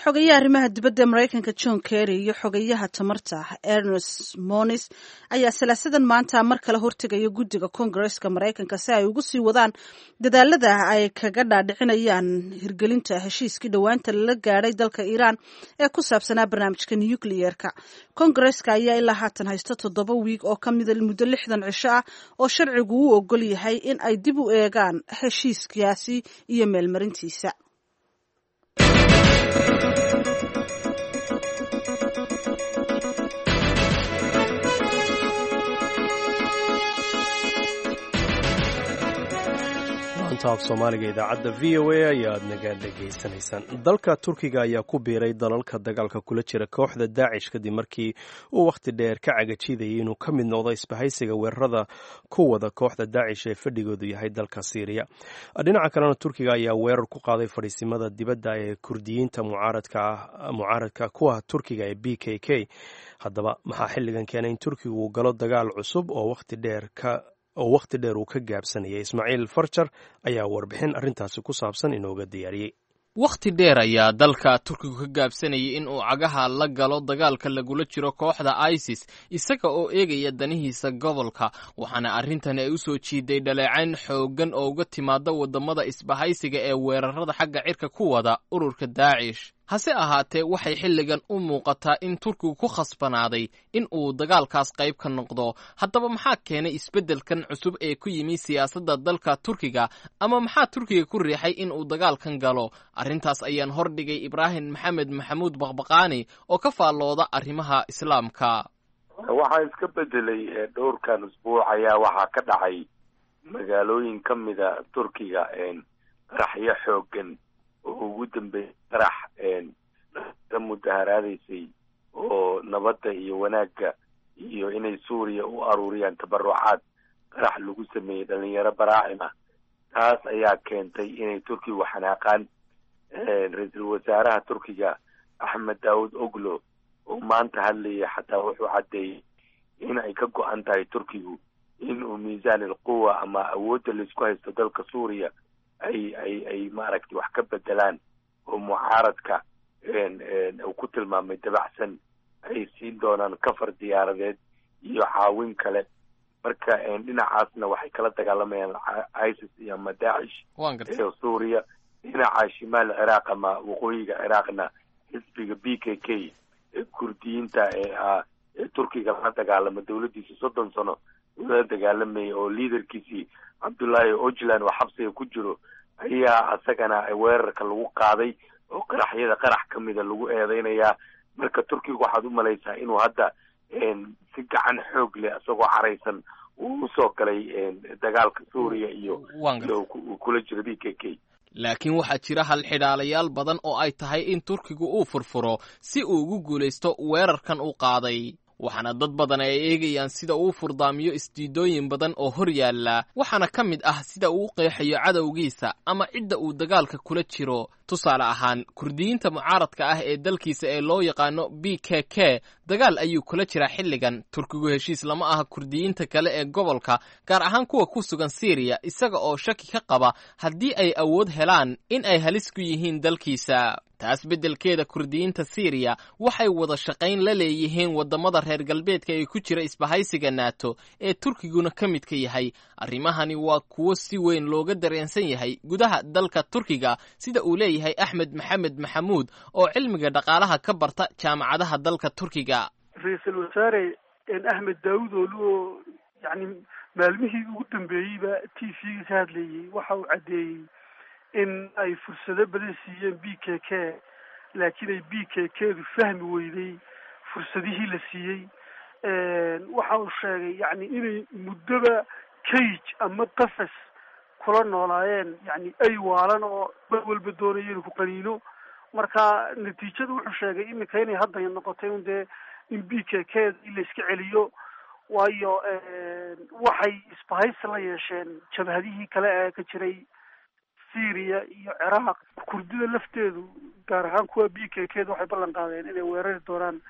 Xogayaha arrimaha dibadda ee Maraykanka John Kerry iyo xogayaha tamarta Ernest Moniz ayaa Salaasadan maanta mar kale hortegaya guddiga Koongareska Maraykanka si ay ugu sii wadaan dadaalada ay kaga dhaadhicinayaan hirgelinta heshiiskii dhowaanta lala gaadhay dalka Iiraan ee ku saabsanaa barnaamijka nucleerka. Koongareska ayaa ilaa haatan haysta 7 wiig oo ka mida muddo 60 cisho ah oo sharcigu u ogol yahay in ay dib u eegaan heshiiskaasi iyo meelmarintiisa. Laanta af Soomaaliga idaacadda VOA ayaad naga dhegaysanaysaan. Dalka Turkiga ayaa ku biiray dalalka dagaalka kula jira kooxda Daacish kadib markii uu wakhti dheer ka cagajidayay inuu ka mid noqdo isbahaysiga weerarada ku wada kooxda Daacish ee fadhigoodu yahay dalka Siiriya. Dhinaca kalena, Turkiga ayaa weerar ku qaaday fadhiisimada dibadda ee Kurdiyiinta mucaaradka kuwa Turkiga ee PKK. Haddaba, maxaa xilligan keenay in Turkigu uu galo dagaal cusub oo wakhti dheer uu ka gaabsanayay? Ismaaciil Farjar ayaa warbixin arrintaasi ku saabsan inooga diyaariyey. Wakhti dheer ayaa dalka Turkigu ka gaabsanayay in uu cagaha la galo dagaalka lagula jiro kooxda ISIS, isaga oo eegaya danihiisa gobolka, waxaana arrintani ay u soo jiiday dhaleecayn xooggan oo uga timaada waddamada isbahaysiga ee weerarada xagga cirka ku wada ururka Daacish. Hase ahaatee, waxay xilligan u muuqataa in Turkigu ku khasbanaaday in uu dagaalkaas qayb ka noqdo. Haddaba, maxaa keenay isbeddelkan cusub ee ku yimi siyaasadda dalka Turkiga, ama maxaa Turkiga ku riixay in uu dagaalkan galo? Arrintaas ayaan hordhigay Ibraahim Maxamed Maxamuud Baqbaqaani oo ka faallooda arrimaha Islaamka. Waxaa iska bedelay dhowrkan usbuuc ayaa waxaa ka dhacay magaalooyin ka mida Turkiga qaraxyo xooggan oo ugu dambeeyay qarax la mudaharaadaysay oo nabadda iyo wanaagga iyo inay Suuriya u aruuriyaan tabarucaad qarax lagu sameeyey dhalinyaro baraacim ah. Taas ayaa keentay inay Turkigu xanaaqaan. Ra-iisul wasaaraha Turkiga Axmed Daawud Oglo oo maanta hadlayay xataa wuxuu caddeeyey in ay ka go-an tahay Turkigu in uu miisaan alquwa ama awoodda laisku haysto dalka Suuriya ay maaragtay wax ka bedelaan, oo mucaaradka uu ku tilmaamay dabacsan ay siin doonaan kafar diyaaradeed iyo caawin kale. Marka dhinacaasna waxay kala dagaalamayaan ISIS iyo ama Daacish ee Suuriya. Dhinaca shimaal Ciraaq ama waqooyiga Ciraaqna, xisbiga PKK ee Kurdiyiinta ee Turkiga la dagaalama dowladdiisa 30 sano la dagaalamayay, oo liaderkiisii Cabdullaahi Ojlan oo xabsiga ku jiro, ayaa isagana weerarka lagu qaaday oo qaraxyada qarax ka mida lagu eedeynayaa. Marka Turkiga waxaad u malaysaa inuu hadda si gacan xoog leh, isagoo caraysan, uu usoo galay dagaalka Suuriya iyo uu kula jiro PKK. Laakiin waxaa jira halxidhaalayaal badan oo ay tahay in Turkigu uu furfuro si uu ugu guulaysto weerarkan uu qaaday, waxaana dad badan ay eegayaan sida uu furdaamiyo isdiidooyin badan oo hor yaalla, waxaana ka mid ah sida uu u qeexayo cadowgiisa ama cidda uu dagaalka kula jiro. Tusaale ahaan, Kurdiyiinta mucaaradka ah ee dalkiisa ee loo yaqaano PKK dagaal ayuu kula jiraa xilligan. Turkigu heshiis lama aha Kurdiyiinta kale ee gobolka, gaar ahaan kuwa ku sugan Siiriya, isaga oo shaki ka qaba haddii ay awood helaan in ay halis ku yihiin dalkiisa. Taas beddelkeeda, Kurdiyiinta Siiriya waxay wada shaqayn la leeyihiin waddamada reer galbeedka ee ku jira isbahaysiga NATO ee Turkiguna ka midka yahay. Arrimahani waa kuwo si weyn looga dareensan yahay gudaha dalka Turkiga, sida uu leeyahay Axmed Maxamed Maxamuud oo cilmiga dhaqaalaha ka barta jaamacadaha dalka Turkiga. Ra-iisul wasaare Axmed Daawud Oolu oo yacni maalmihii ugu dambeeyeyba TV-ga ka hadlayey waxa uu caddeeyey in ay fursado badan siiyeen PKK, laakiin ay PKK-du fahmi weyday fursadihii la siiyey. Waxa uu sheegay yacni inay muddoba cage ama qafas kula noolaayeen, yacni ay waalan oo mar walba doonaya inuu ku qaniino. Marka natiijada wuxuu sheegay iminka inay hadda noqotay un dee in PKK in la iska celiyo, waayo waxay isbahaysi la yeesheen jabhadihii kale ee ka jiray Syria iyo Ciraaq. Kurdida lafteedu, gaar ahaan kuwa PKK da, waxay ballan qaadeen inay weerari doonaan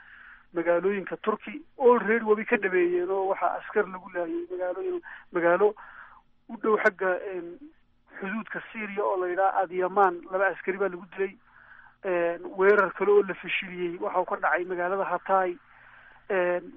magaalooyinka Turkey. Already wabay ka dhabeeyeen oo waxaa askar lagu laayay magaalooyin, magaalo u dhow xagga xuduudka Syria oo la yidhaha Adyaman, laba askari baa lagu dilay. Weerar kale oo la fashiliyey waxa uu ka dhacay magaalada Hatay.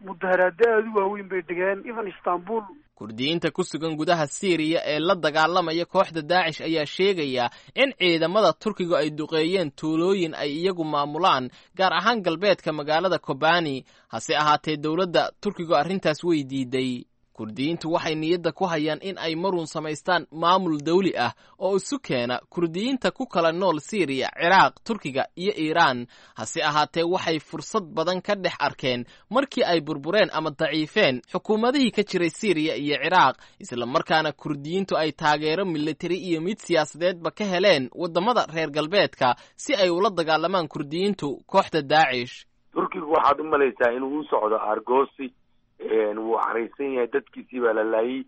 Mudaharaado aada u waaweyn bay dhigeen even Istanbul. Kurdiyiinta ku sugan gudaha Siiriya ee la dagaalamaya kooxda Daacish ayaa sheegaya in ciidamada Turkigu ay duqeeyeen tuulooyin ay iyagu maamulaan, gaar ahaan galbeedka magaalada Kobani. Hase ahaatee, dowladda Turkigu arrintaas way diiday. Kurdiyiintu waxay niyadda ku hayaan in ay marun samaystaan maamul dawli ah oo isu keena kurdiyiinta ku kala nool Siiriya, Ciraaq, Turkiga iyo Iiraan. Hase ahaatee, waxay fursad badan ka dhex arkeen markii ay burbureen ama daciifeen xukuumadihii ka jiray Siiriya iyo Ciraaq, islamarkaana kurdiyiintu ay taageero militari iyo mid siyaasadeedba ka heleen waddamada reer galbeedka si ay ula dagaalamaan kurdiyiintu kooxda Daacish. Turkigu waxaad u malaysaa inuu u socdo argoosi. Wuu caraysan yahay, dadkiisii baa la laayay.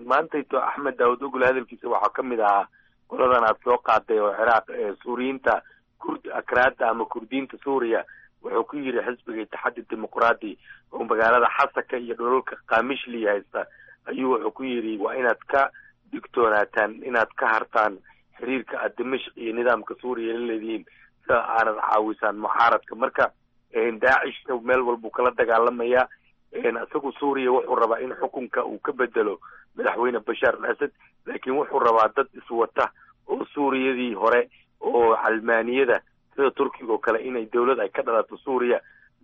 Maantayto Axmed Daawud Ogol hadalkiisa waxaa ka mid ahaa qoladan aad soo qaaday oo Ciraaq, Suuriyiinta Kurd, Akraada ama Kurdiyiinta Suuriya. Wuxuu ku yidhi xisbiga Itixaadi Dimuqraadi oo magaalada Xasaka iyo dhulalka Kamishli haysta ayuu wuxuu ku yidhi, waa inaad ka digtoonaataan, inaad ka hartaan xiriirka aad Dimashq iyo nidaamka Suuriya la leedihiin, sida aanad caawisaan mucaaradka. Marka Daacishna meel walbuu kala dagaalamayaa. Isagu Suuriya wuxuu rabaa in xukunka uu ka bedelo madaxweyne Bashaar al Asad, laakiin wuxuu rabaa dad iswata oo Suuriyadii hore oo calmaaniyada sida Turkiga oo kale inay dawlad ay ka dhalato Suuriya.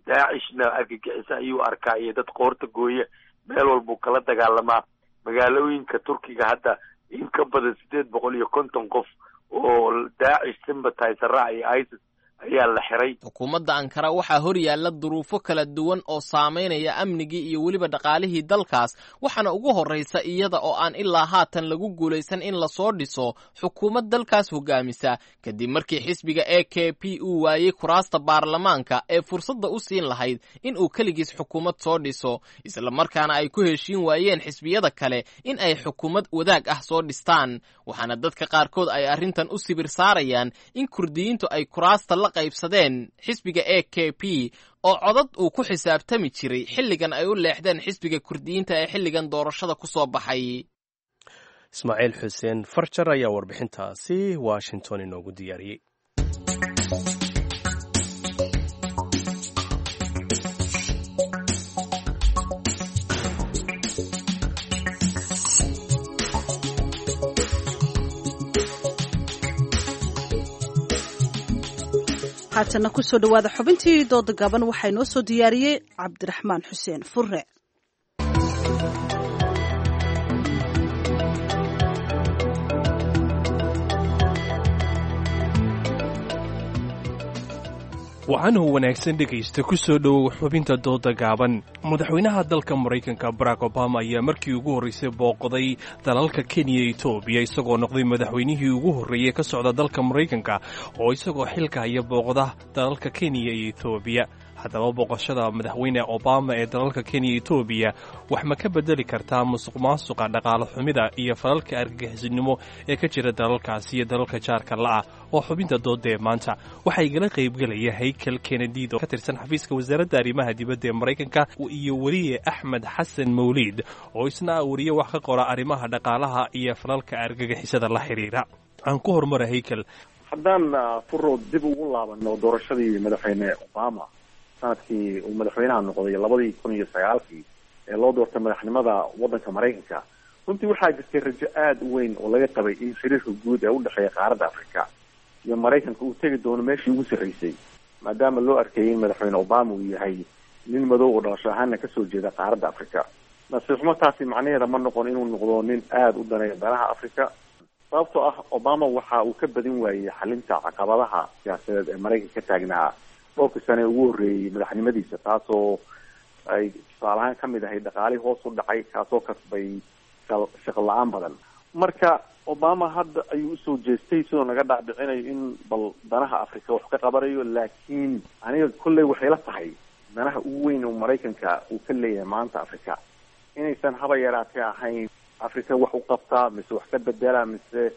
Daacishna argagixisa ayuu arkaa iyo dad qoorta gooya, meel walbuu kala dagaalamaa. Magaalooyinka Turkiga hadda in ka badan 850 qof oo Daacish sympathizer iyo ISIS ayaa la xiray. Xukuumadda Ankara waxaa hor yaalla duruufo kala duwan oo saamaynaya amnigii iyo weliba dhaqaalihii dalkaas, waxaana ugu horraysa iyada oo aan ilaa haatan lagu guulaysan in lasoo dhiso xukuumad dalkaas hogaamisa, kadib markii xisbiga AKP uu waayey kuraasta baarlamaanka ee fursadda u siin lahayd in uu keligiis xukuumad soo dhiso, islamarkaana ay ku heshiin waayeen xisbiyada kale in ay xukuumad wadaag ah soo dhistaan. Waxaana dadka qaarkood ay arrintan u sibir saarayaan in kurdiyiintu ay kuraasta la qaybsadeen xisbiga AKP oo codad uu ku xisaabtami jiray xilligan ay u leexdeen xisbiga kurdiyiinta ee xilligan doorashada ku soo baxay. Ismaaciil Xuseen Farjar ayaa warbixintaasi Washington inoogu diyaariyey. Haatana kusoo dhawaada xubintii dooda gaban. Waxaa inoo soo diyaariyey Cabdiraxmaan Xuseen Fure. Wacanuu wanaagsan dhegaysta, ku soo dhowow xubinta dooda gaaban. Madaxweynaha dalka Maraykanka Barack Obama ayaa markii ugu horraysay booqday dalalka Kenya iyo Etoobiya, isagoo noqday madaxweynihii ugu horreeyey ka socda dalka Maraykanka oo isagoo xilka haya booqda dalalka Kenya iyo Etoobiya. Haddaba, booqashada madaxweyne Obama ee dalalka Kenya iyo Etoobiya wax ma ka bedeli kartaa musuq maasuqa, dhaqaale xumida iyo falalka argagixisinimo ee ka jira dalalkaasi iyo dalalka jaarka la'ah? Oo xubinta dooda ee maanta waxaa igala qaybgelaya Haykel Kennedid oo ka tirsan xafiiska wasaaradda arrimaha dibadda ee Maraykanka iyo weriye Axmed Xasan Mawliid oo isna weriye wax ka qora arrimaha dhaqaalaha iyo falalka argagixisada la xiriira. Aan ku horumara Haykel. Haddaan furo dib ugu laabano doorashadii madaxweyne Obama sanadkii uu madaxweynaha noqday 2009-kii ee loo doortay madaxnimada waddanka Maraykanka, runtii waxaa jirtay rajo aada u weyn oo laga qabay in xiriirka guud ee udhexeeya qaaradda Africa iyo Maraykanka uu tegi doono meeshii ugu sarreysay, maadaama loo arkayay in madaxweyne Obama uu yahay nin madow oo dhalasho ahaana kasoo jeeda qaaradda Africa. Nasiib xumo, taasi macnaheeda ma noqon inuu noqdo nin aada u daneeya danaha Africa, sababtoo ah Obama waxa uu ka badin waayey xalinta caqabadaha siyaasadeed ee Maraykanka ka taagnaa dhowrkii sane ugu horreeyey madaxnimadiisa, taasoo ay tusaale ahaan kamid ahayd dhaqaalihii hoos u dhacay, kaasoo kasbay shaqo la-aan badan. Marka Obama hadda ayuu usoo jeestay sidoo naga dhaadhicinayo in bal danaha Africa wax ka qabanayo, laakiin aniga kolley waxay la tahay danaha ugu weyn oo Maraykanka uu ka leeyahay maanta Africa inaysan haba yaraatee ahayn Africa wax u qabtaa mise wax ka bedela mise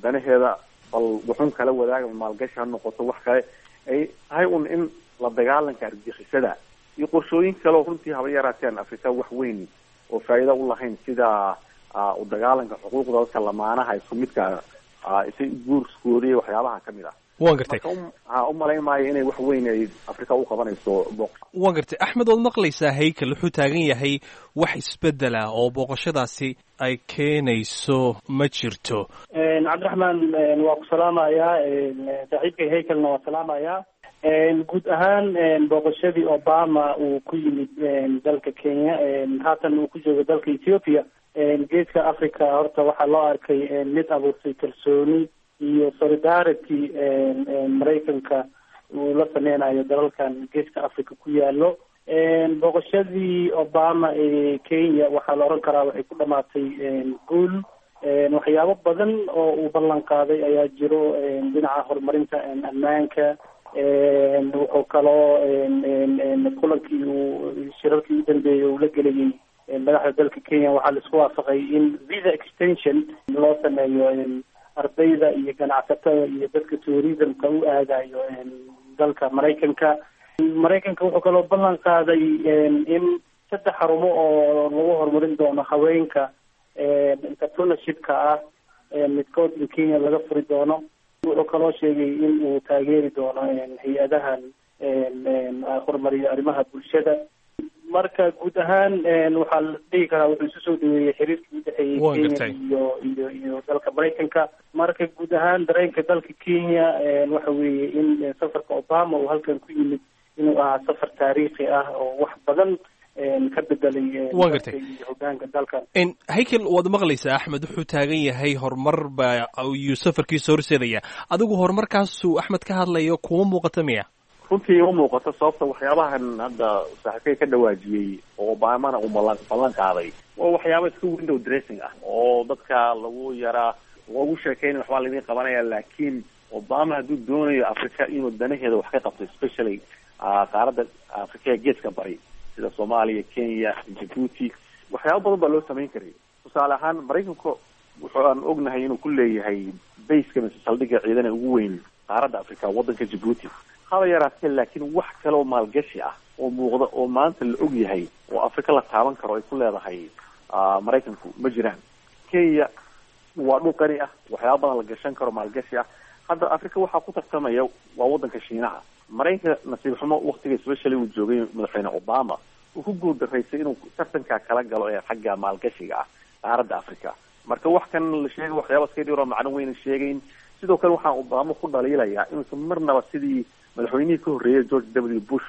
danaheeda bal wuxuun kala wadaaga, maalgashi ha noqoto, wax kale ay tahay un in la dagaalanka argagixisada iyo qorshooyin kale oo runtii haba yaraateen Africa wax weyn oo faa'iida u lahayn, sida u dagaalanka xuquuqda dadka lamaanaha isku midka isay guurskooda iyo waxyaabaha kamid ah. Waan gartay. Ha u malayn maayo inay wax weyn ay Afrika u qabanayso booq. Waan gartay. Axmed, waad maqlaysaa Haykel wuxuu taagan yahay wax isbedela oo booqashadaasi ay keenayso ma jirto. Cabdiraxmaan, waa ku salaamayaa, saaxiibkay Haykelna waa salaamayaa. Guud ahaan booqashadii Obama uu ku yimid dalka Kenya, haatan uu ku joogo dalka Ethiopia, Geeska Africa, horta waxaa loo arkay mid abuurtay kalsooni iyo solidarity Maraykanka uu la sameynayo dalalkan Geeska Africa ku yaalo. Booqashadii Obama ee Kenya waxaa la oran karaa waxay ku dhamaatay guul. Waxyaabo badan oo uu ballan qaaday ayaa jiro dhinaca horumarinta ammaanka. Wuxuu kaloo kulankii uu shirarkii u dambeeyey uu la gelayay madaxda dalka Kenya waxaa laisku waafaqay in visa extension loo sameeyo ardayda iyo ganacsatada iyo dadka tourismka u aadayo dalka Maraykanka. Maraykanka wuxuu kaloo ballan qaaday in 3 xarumo oo lagu horumarin doono haweenka entrepreneurship-ka ah midkood in Kenya laga furi doono. Wuxuu kaloo sheegay in uu taageeri doono hay-adahan horumariyo arrimaha bulshada. Marka guud ahaan waxaa la dhihi karaa wuxuu isu soo dhaweeyey xiriirkii udhexeeyey Kenya iyo dalka Maraykanka. Marka guud ahaan dareenka dalka Kenya waxa weeye in safarka Obama uu halkan ku yimid inuu ahaa safar taariikhi ah oo wax badan ka bedelay Waan gartay. iyo hogaanka dalkan. Haykel, waad maqlaysaa, Axmed wuxuu taagan yahay horumar baa ayuu safarkiisa horseedaya. Adigu horumarkaasuu Axmed ka hadlayo kuma muuqata miya? Runtii ima muuqato, sababta waxyaabahan hadda saaxiibkay ka dhawaajiyey oo Obamana uu ballan qaaday waa waxyaaba iska window dressing ah oo dadka lagu yaraa loogu sheekeynay waxbaa laidin qabanaya. Laakiin Obama hadduu doonayo Africa inuu danaheeda wax ka qabto, especially qaaradda Africa ee geeska bari sida Soomaaliya, Kenya, Djibouti, waxyaaba badan baa loo samayn karay. Tusaale ahaan, Maraykanku wuxuu aan ognahay inuu ku leeyahay baseka mise saldhigga ciidan ee ugu weyn qaaradda Africa waddanka Djibouti, haba yaraatee, laakiin wax kale oo maalgashi ah oo muuqda oo maanta la og yahay oo Afrika la taaban karo ay ku leedahay Maraykanku ma jiraan. Kenya waa dhul qani ah, waxyaaba badan la gashan karo maalgashi ah. Hadda Afrika waxaa ku tartamaya waa waddanka Shiinaha. Maraykanka nasiib xumo waktiga especially uu joogay madaxweyne Obama uu ku guuldaraysay inuu tartankaa kala galo ee xagga maalgashiga ah qaaradda Africa. Marka wax kan la sheegay waxyaaba iska dhiro macno weyna sheegayn. Sidoo kale waxaan Obama ku dhaliilayaa inuusan marnaba sidii madaxweynihii ka horreeyay George W Bush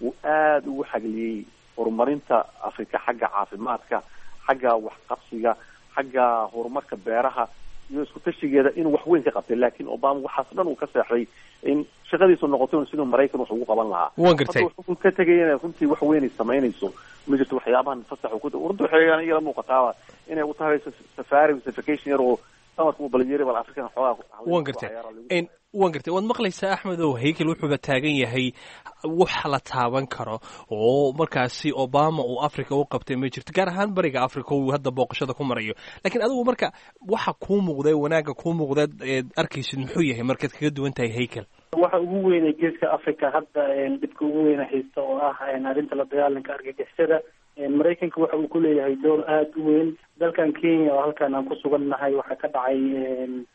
uu aada ugu xagliyey horumarinta Africa xagga caafimaadka, xagga waxqabsiga, xagga horumarka beeraha iyo isku tashigeeda inuu wax weyn ka qabtay. Laakiin Obama waxaas dhan uu ka seexday in shaqadiisu noqoto siduu Maraykan wax ugu qaban lahaa. Waan gartay. Hadda wuxuu ka tegayana runtii wax weyn ay samaynayso ma jirto. Waxyaabahan fasax uu ku runtii waxay igala muuqataaba inay u tahay safari mise vacation yar oo samarka uu balyeri bal African xoogaa. Waan gartay. Waad maqlaysaa, Axmedow, Haykel wuxuuba taagan yahay wax la taaban karo oo markaasi Obama uu Africa u qabtay ma jirto, gaar ahaan bariga Africa uu hadda booqashada ku marayo. Laakiin adigu marka waxa kuu muuqday, wanaagga kuu muuqdeed eed arkaysid muxuu yahay markaad kaga duwan tahay Haykel? Waxa ugu weyn ee Geeska Africa hadda dhibka ugu weyna haysta oo ah arrinta la dagaalanka argagixisada, Maraykanka waxa uu ku leeyahay door aada u weyn. Dalkan Kenya oo halkan aan ku sugan nahay waxaa ka dhacay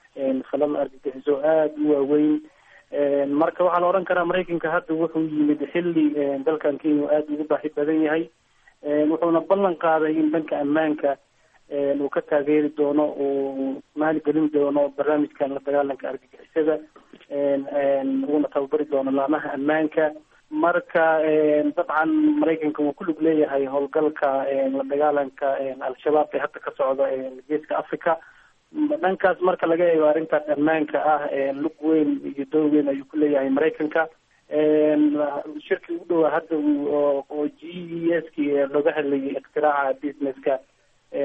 falal argagixiso aada u waaweyn. Marka waxaa la odhan karaa Maraykanka hadda wuxuu yimid xilli dalkan Kenya uu aada ugu baahi badan yahay, wuxuuna ballan qaaday in dhanka ammaanka uu ka taageeri doono, uu maalgelin doono barnaamijkan la dagaalanka argagixisada, uuna tababari doono laamaha ammaanka. Marka dabcan Maraykanka wuu ku lug leeyahay howlgalka la dagaalanka Al-Shabaab ee hadda ka socda Geeska Africa. Dhankaas marka laga eego arrintaas ammaanka ah, lug weyn iyo door weyn ayuu ku leeyahay Maraykanka. Shirkii ugu dhowaa hadda oo GES ki looga hadlayay iktiraaca businesska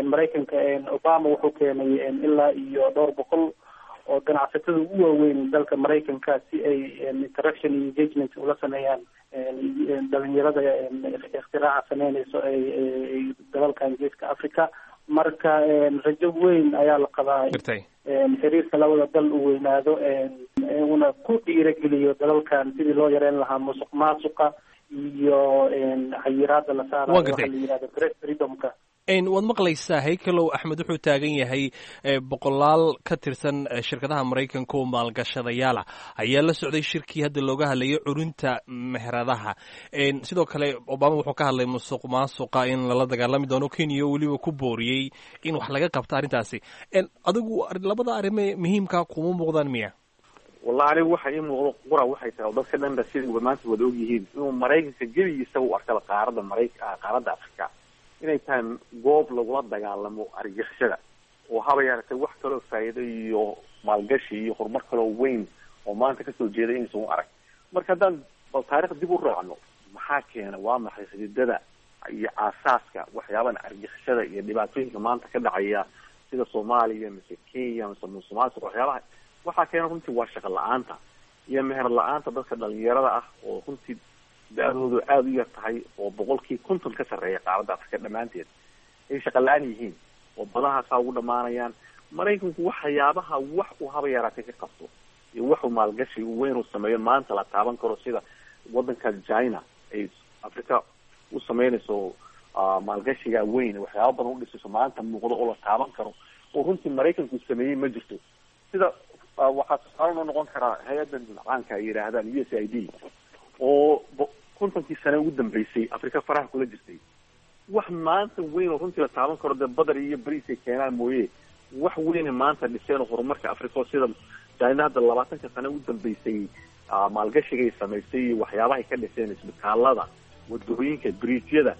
Maraykanka, Obama wuxuu keenay ilaa iyo dhowr boqol oo ganacsatada ugu waaweyn dalka Maraykanka si ay interaction iyo engagement ula sameeyaan dhalinyarada iktiraaca sameynayso ay dalalkan Geeska Africa. Marka rajo weyn ayaa la qabaa xiriirka labada dal uu weynaado, una ku dhiirageliyo dalalkan sidii loo yareyn lahaa musuq maasuqa iyo xayiraada la saarayo waxa la yihahdo press freedomka. Waad maqlaysaa, Haykelow, Axmed wuxuu taagan yahay boqolaal ka tirsan shirkadaha Maraykanka oo maalgashadayaala ayaa la socday shirkii hadda looga hadlayay curinta meheradaha. Sidoo kale Obama wuxuu ka hadlay musuq maasuqa in lala dagaalami doono, Kenya weliba ku booriyey in wax laga qabto arrintaasi. Adigu labada arrime muhiimka kuma muuqdaan miya? Wallahi anigu waxa ii muuqdo qura waxay tahay oo dadka dhanba sida maanta wada ogyihiin inuu Maraykanka gebigiisa u arkaba qaaradda qaaradda Afrika inay tahay goob lagula dagaalamo argagixisada, oo haba yaratay wax kaloo faa'iido iyo maalgashi iyo horumar kaloo weyn oo maanta kasoo jeeda inaysan u arag. Marka haddaan bal taariikh dib u raacno, maxaa keena, waa maxay xididada iyo aasaaska waxyaabahan argixisada iyo dhibaatooyinka maanta ka dhacaya sida Soomaaliya mise Kenya mise musuqmaasuq? Waxyaabaha waxaa keena runtii waa shaqo la-aanta iyo meher la-aanta dadka dhalinyarada ah oo runtii da-doodu aada u yar tahay, oo 50% ka sarreeya qaaradda Afrika dhammaanteed ay shaqo la-aan yihiin oo badahaasaa ugu dhamaanayaan. Maraykanku waxyaabaha wax uu haba yaraatay ka qabto iyo waxuu maalgashi weyn uu sameeyo maanta la taaban karo, sida wadanka China ay Afrika u sameynayso maalgashiga weyn, waxyaaba badan u dhisayso maanta muuqdo oo la taaban karo oo runtii Maraykanku sameeyey ma jirto. Sida waxaa tusaale noo noqon karaa hay-addan caanka ay yidhaahdaan USAID oo 50kii sane ugu dambeysay Afrika faraha kula jirtay, wax maanta weyn oo runtii la taaban karo dee badar iyo bariis ay keenaan mooye, wax weyne maanta dhiseen oo horumarka Afrika oo sida China hadda 20ka sane ugu dambeysay maalgashigay samaysay iyo waxyaabahay ka dhiseen isbitaalada, wadooyinka, biriijyada,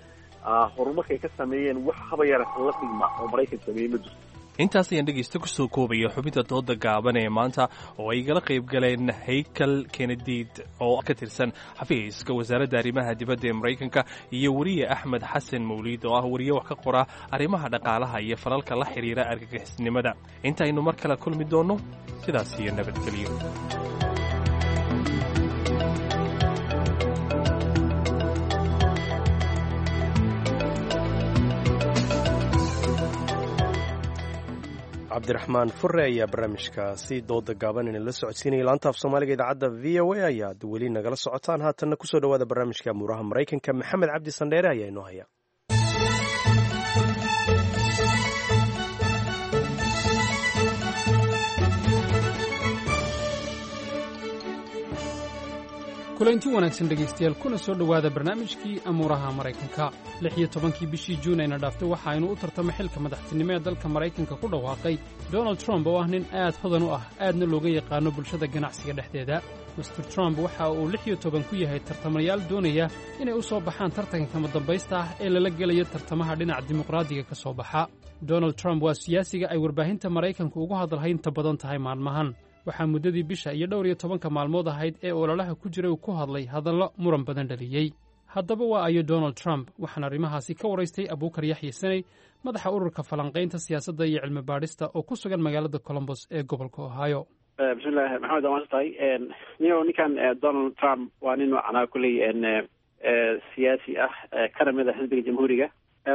horumarkay ka sameeyeen, wax haba yarata la dhigma oo Maraykan sameeyey ma jirto. Intaas ayaan dhegaysta kusoo koobaya xubinta dooda gaaban ee maanta oo ay igala qayb galeen Haykal Kenediid oo ka tirsan xafiiska wasaaradda arrimaha dibadda ee Maraykanka iyo weriye Axmed Xasan Mawliid oo ah weriye wax ka qora arrimaha dhaqaalaha iyo falalka la xidhiira argagixisnimada. Intaaynu mar kale kulmi doonno, sidaas iyo nabadgelyo. Cabdiraxmaan Fure ayaa barnaamijkaasi dooda gaaban inala socodsiinaya. Laanta af Soomaaliga idaacadda VOA ayaad weli nagala socotaan. Haatanna kusoo dhawaada barnaamijka amuuraha Maraykanka. Maxamed Cabdi Sandheere ayaa inoo haya. Kulanti wanaagsan dhegaystayaal, kuna soo dhowaada barnaamijkii amuuraha Maraykanka. 16kii bishii Juun ayna dhaaftay waxa aynu u tartamo xilka madaxtinimo ee dalka Maraykanka ku dhawaaqay Donald Trump oo ah nin aad hodan u ah, aadna looga yaqaano bulshada ganacsiga dhexdeeda. Mister Trump waxa uu 16 ku yahay tartamayaal doonaya inay u soo baxaan tartanka kama dambaysta ah ee lala gelayo tartamaha dhinaca dimuqraadiga ka soo baxa. Donald Trump waa siyaasiga ay warbaahinta Maraykanku ugu hadalhaynta badan tahay maalmahan. Waxaa muddadii bisha iyo dhowr iyo tobanka maalmood ahayd ee ololaha ku jiray uu ku hadlay hadallo muran badan dhaliyey. Haddaba waa ayo Donald Trump? Waxaan arrimahaasi ka waraystay Abuukar Yaxya Saney, madaxa ururka falanqaynta siyaasadda iyo cilmi baadhista oo ku sugan magaalada Colombos ee gobolka Ohio. Bismillahi, Maxamed, waa maadsan tahay. Niyo, ninkan Donald Trump waa nin macnaha kulley siyaasi ah, kana mid a xisbiga Jamhuuriga.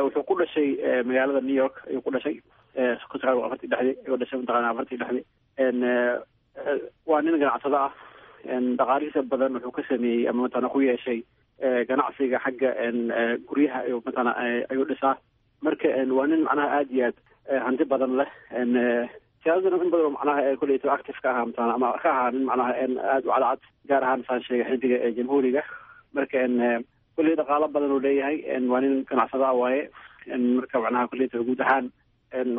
Wuxuu ku dhashay magaalada New York ayuu ku dhashay 1946 ayuu dhashay, mataqaana 46. Waa nin ganacsado ah. Dhaqaalihiisa badan wuxuu ka sameeyey ama mataqana ku yeeshay ganacsiga xagga guryaha ayuu mataqana ayuu dhisaa. Marka waa nin macnaha aada iyo aad hanti badan leh. Siyaasadana in badan oo macnaha kulleyto active ka ahaa mataqana ama ka ahaa nin macnaha aada u cadcad, gaar ahaan saan sheegay xisbiga Jamhuuriga. Marka kulley dhaqaalo badan uu leeyahay, waa nin ganacsado ah waaye. Marka macnaha kulleyto guud ahaan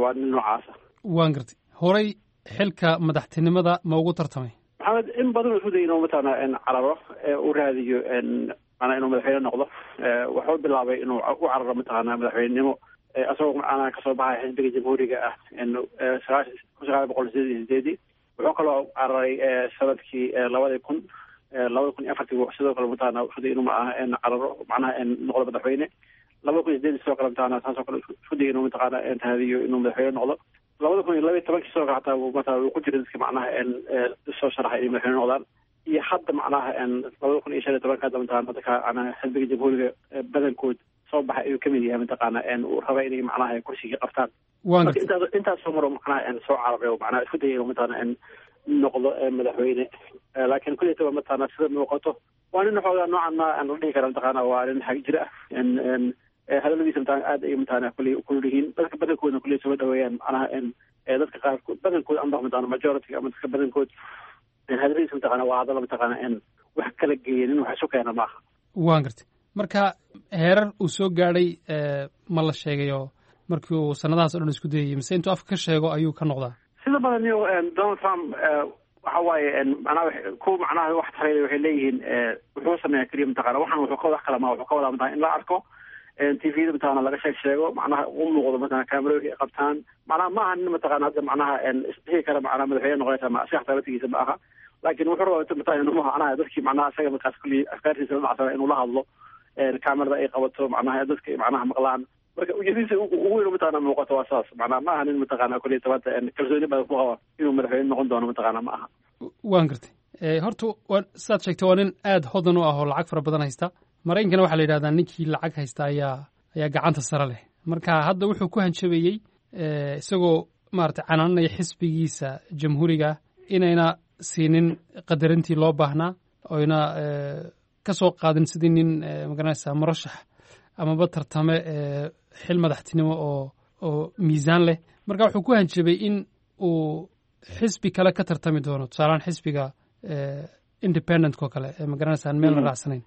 waa nin noocaasa. Waan gartay. Horay xilka madaxtinimada ma ugu tartamay? Maxamed, in badan wuxuu dayay inuu mataqaana cararo, u raadiyo macnaa inuu madaxweyne noqdo. Wuxuu bilaabay inuu u cararo mataqaana madaxweynenimo isagoo macnaha kasoo baxaya xisbiga Jamhuuriga ah 1988. Wuxuu kaloo cararay sanadkii 2000, 2004-tii. Sidoo kale mataqaana wuxuu dayay inuu macnaha cararo, macnaha noqdo madaxweyne. 2008 sidoo kale mataqaana saasoo kale isku dayay inuu mataqaana raadiyo inuu madaxweyne noqdo. 2012-kii sidoo kale xataa mataqana wuu ku jiray dadka macnaha soo sharaxay inay madaxweyne noqdaan. Iyo hadda macnaha 2015-ka hadda mataqana dadka macnaha xisbiga Jamhuuriga badankood soo baxay ayuu kamid yahay, mataqaana uu raba inay macnaha kursigii qabtaan. Marka intaas soo maro macnaha soo cararay oo macnaha isku dayay inuu mataqana noqdo madaxweyne, laakiin kulleytaba mataqana sida muuqato waa nin xoogaa noocan ma aan la dhihi kara mataqana waa nin xag jir ah. Hadaladiisa mataqana aad ay mataqana kulley kulul yihiin, dadka badankoodna kulley soo dhaweeyaan macnaha dadka qaarkood badankood amba mataqana majority ama dadka badankood hadaladiisa mataqana waa hadallo mataqana wax kala geeya, nin wax isu keena maaha. Waan gartay. Marka heerar uu soo gaadhay ma la sheegayo markii uu sanadahaas o dhan isku dayayay, mise intuu afka ka sheego ayuu ka noqdaa? Sida badan yo Donald Trump Waxa waaye macnaha kuwa macnaha wax taray waxay leeyihiin wuxuu sameeyaa keliya mataqaana waxaan wuxuu ka wax kala ma wuxuu ka wadaa mataqaana in la arko TV-da mataqaana laga sheeg sheego, macnaha u muuqdo mataqaana kaamerooyinka ay qabtaan. Macnaha ma aha nin mataqaana hadda macnaha isdhihi kara macnaha madaxweyne noqonaysa ma isaga xataa laftigiisa ma aha, laakiin wuxuu rabaa mataqaana inuu macnaha dadkii macnaha isaga markaas kulli afkaartiisa la dhacsana inuu la hadlo, kaamerada ay qabato, macnaha dadka ay macnaha maqlaan. Marka ujeedadiisa ugu weyn mataqaana muuqato waa saas. Macnaha ma aha nin mataqaana kulli tabaanta kalsooni badan ku qaba inuu madaxweyne noqon doono mataqaana ma aha. Waan gartay. Horta sidaad sheegtay waa nin aada hodan u ah oo lacag fara badan haysta. Maraykankana waxaa la yidhahdaa ninkii lacag haysta ayaa gacanta sare leh. Marka hadda wuxuu ku hanjabayey isagoo maaragtay canaananaya xisbigiisa jamhuuriga inayna siinin qadarintii loo baahnaa, oyna ka soo qaadin sidii nin magaranaysa murashax amaba tartame xil madaxtinimo oo miisaan leh. Marka wuxuu ku hanjabay in uu xisbi kale ka tartami doono, tusaalehaan xisbiga independent oo kale ee magaranaysa aan meel la raacsanayn,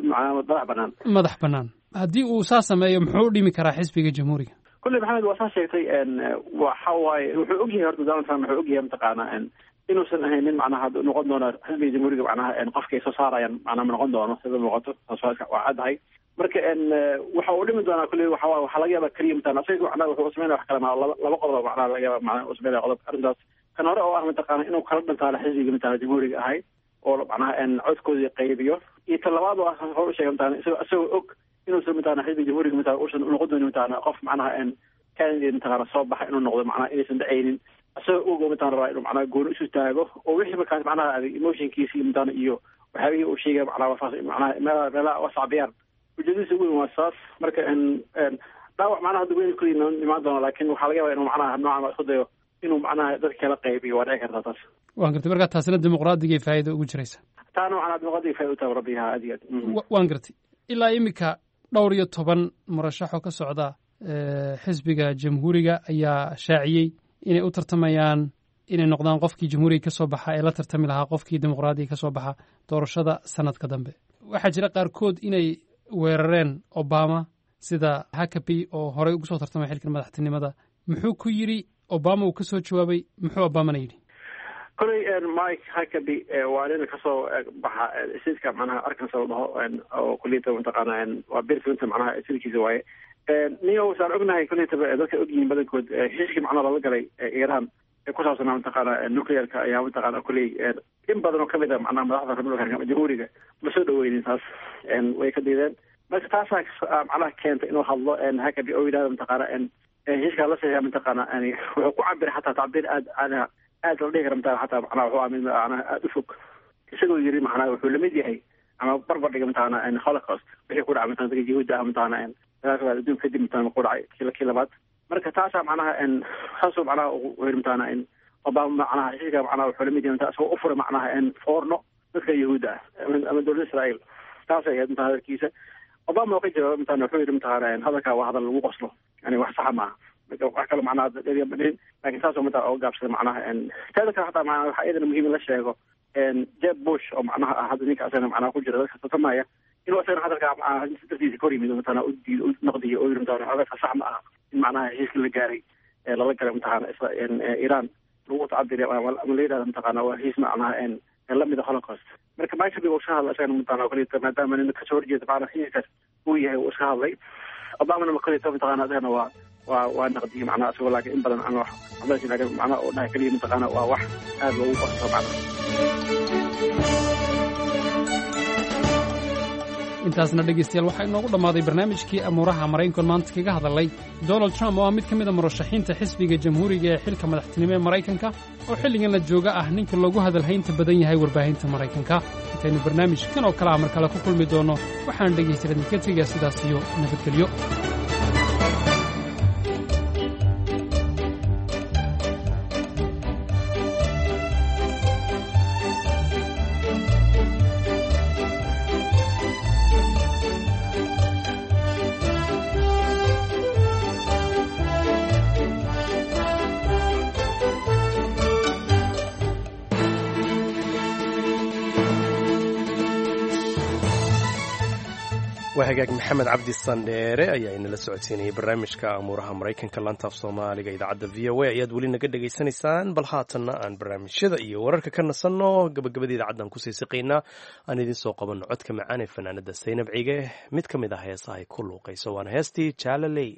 madax banaan. Madax bannaan. Haddii uu saa sameeyo muxuu u dhimi karaa xisbiga jamhuuriga? Kulley Maxamed, waa saa sheegtay. Waxa waaye wuxuu ogyahay horta Donald Trump wuxuu ogyahay mataqaana inuusan ahayn nin macnaha noqon doono xisbiga jamhuuriga macnaha qofka ay soo saarayaan macnaha ma noqon doono sida muuqato, taas waa caddahay. Marka waxa uu dhimi doonaa kulley waxa waaye waxaa laga yaabaa keliya mataqaana isaga macnaha wuxuu sameynaya wax kale ma laba qodob macnaha laga yaabaa macnaha uu sameynaya qodob arrintaas. Kan hore oo ah mataqaana inuu kala dhantaalo xisbiga mataqaana jamhuuriga ahay oo macnaha codkoodii qaybiyo, iyo tan labaad oo ah hore u sheegay mataqaana isagoo og inuusan mataqaana xisbiga jamhuuriga mataqaana uusan noqon doonin mataqaana qof macnaha candidate mataqaana soo baxa inuu noqdo macnaha inaysan dhacaynin, isagoo og oo mataqaana rabaa inuu macnaha gooni isu taago oo wixii markaas macnaha adig emotionkiisi mataqaana iyo waxyaabihii uu sheegaya macnaha wafaas macnaha meelaha wasacbiyaan. Ujeedadiisa ugu weyn waa saas. Marka dhaawac macnaha hadda weyn kulli imaan doono, laakiin waxaa laga yaabaa inuu macnaha noocan isku dayo inuu macnaha dadka kala qaybiyo, waa dhici kartaa taas. Waan gartay. Marka taasina dimuqraadiga faa'iida ugu jiraysa. Taana macnaha dimuqraadiga faa'iida u tahay rabbiha aad iyo aad. Waan gartay. Ilaa iminka dhowr iyo toban murashaxoo ka socda xisbiga jamhuuriga ayaa shaaciyey inay u tartamayaan inay noqdaan qofkii jamhuuriga ka soo baxa ee la tartami lahaa qofkii dimuqraadiga ka soo baxa doorashada sanadka dambe. Waxaa jira qaarkood inay weerareen Obama, sida Huckabee oo horey ugu soo tartamay xilkan madaxtinimada. Muxuu ku yidhi Obama? Uu ka soo jawaabay? Muxuu Obamana yidhi? Koley Mike Huckabee waa nin kasoo baxa stateska macnaha Arkansas la dhaho oo kulliyata mataqaana waa Bill Clinton macnaha statekiisa waaye. Niyo saan ognahay kulliyataba dadka ogyihiin badankood heshiiskii macnaha lala galay Iran ee ku saabsanaa mataqaana nuclearka ayaa mataqaana kulley in badan oo kamid a macnaha madaxda Republicanka ama jamhuuriga ma soo dhaweynin, taas way ka diideen. Marka taasaa macnaha keentay inuu hadlo Huckabee oo yidhahdo mataqaana heshiiskaa la saxiixa mataqaana wuxuu ku cabiray xataa tacbiir aad aad aad la dhihi kara mataqaana xataa macnaha wuxuu ahaa mid macnaha aada u fog, isagoo yiri macnaha wuxuu lamid yahay ama barbar dhiga mataqaana Holocaust wixii ku dhacay mataqaana dadka Yahuudda ah mataqaana dagaalka labaad adduunka kadib mataqaana ku dhacay kii labaad. Marka taasaa macnaha saasuu macnaha uu yiri mataqaana Obama macnaha heshiiska macnaha wuxuu lamid yahay mataqaana isagoo u furay macnaha foorno dadka Yahuudda ah ama dowladda Israa'iil. Taasay ahayd mataqaana hadalkiisa. Obama oo ka jawaabay mataqaana wuxuu yiri mataqaana hadalkaa waa hadal lagu qoslo, yani wax saxa maaha, wax kale macnaha dheeriya ma dhihin, laakiin saasoo mataqaana oga gaabsaday macnaha. Teeda kale xataa macnaha waxaa iyadana muhiim in la sheego Jeb Bush oo macnaha ah hadda ninka asagana macnaha ku jira dadka tartamaya inuu asagana hadalkaa macnaha dartiisa ka hor yimid mataqaana u diido u naqdiyo oo yiri mataqaana hadalka sax ma aha in macnaha heshiiska la gaaray ee lala galay mataqaana Iran lagu tacabiriyo ama la yidhahdo mataqaana waa heshiis macnaha lamid a Holocaust. Marka Mike Huckabee uu iska hadlay isagana mataqaana kulita maadaama nin kasoo horjeeda macnaha heshiiskaas uu yahay uu iska hadlay. Obamana ma kulita mataqaana asagana waa naqdiyey macnaha isagoo laakiin in badan aan wax waxba laakiin macnaha oo dhahay keliya mataqaana waa wax aad loogu qabto macnaha. Intaasna dhegaystayaal waxaa inoogu dhammaaday barnaamijkii amuuraha maraykanka maanta kaga hadalay Donald Trump oo ah mid ka mid a murashaxiinta xisbiga jamhuuriga ee xilka madaxtinimo ee Maraykanka oo xilligan la jooga ah ninka loogu hadalhaynta badan yahay warbaahinta Maraykanka. Intaynu barnaamijkan oo kale ah mar kale ku kulmi doonno, waxaan dhegaystayaal idinka tegayaa sidaas iyo nabadgelyo. Waa hagaag, Maxamed Cabdi Sandheere ayaa inala socodsiinayay barnaamijka amuuraha Maraykanka. Lantaaf Soomaaliga idaacadda VOA ayaad weli naga dhegaysanaysaan. Bal haatanna aan barnaamijyada iyo wararka ka nasanno, gabagabada idaacaddan kusii siqaynaa. Aan idiin soo qabanno codka macaan ee fanaanada Saynab Cige, mid ka mid ah heesaha ay ku luuqayso, waana heestii Jaalaley.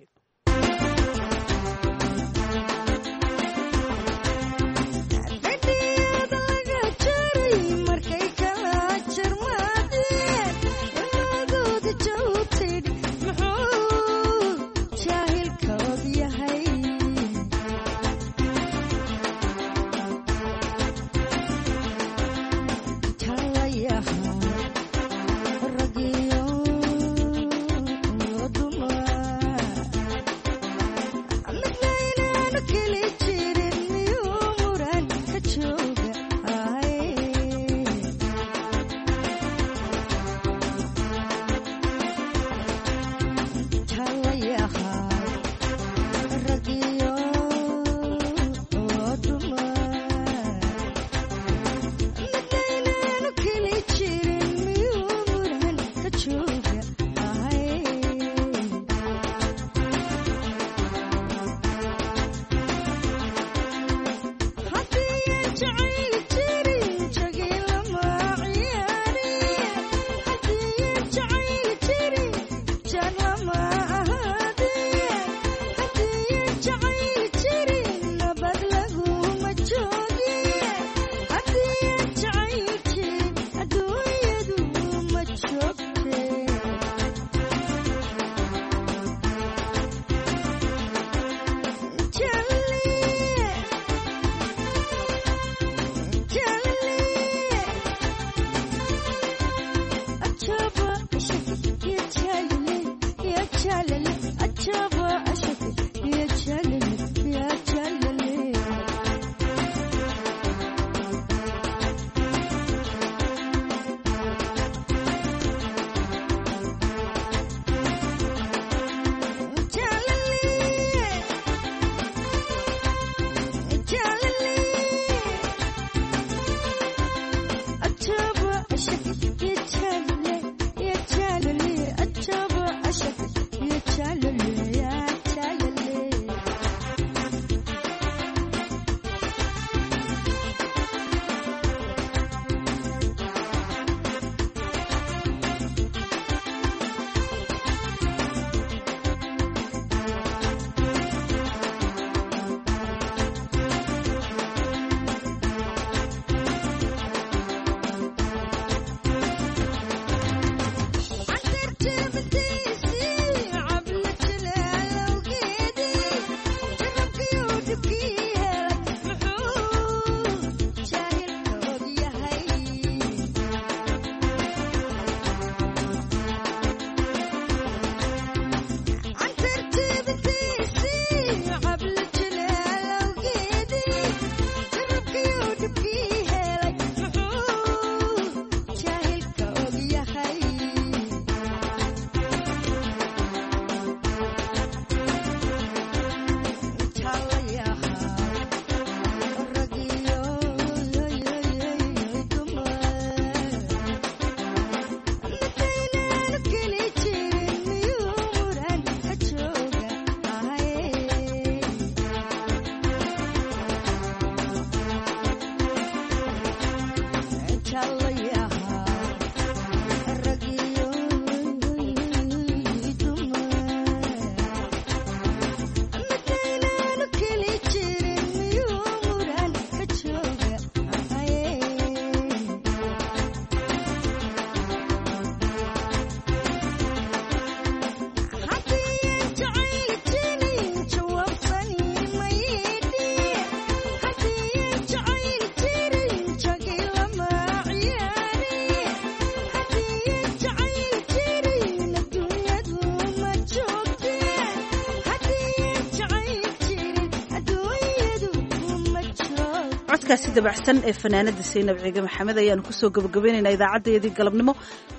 Codkaasi dabacsan ee fanaanada Saynab Ciige Maxamed ayaanu kusoo gabagabaynaynaa idaacaddayadii galabnimo.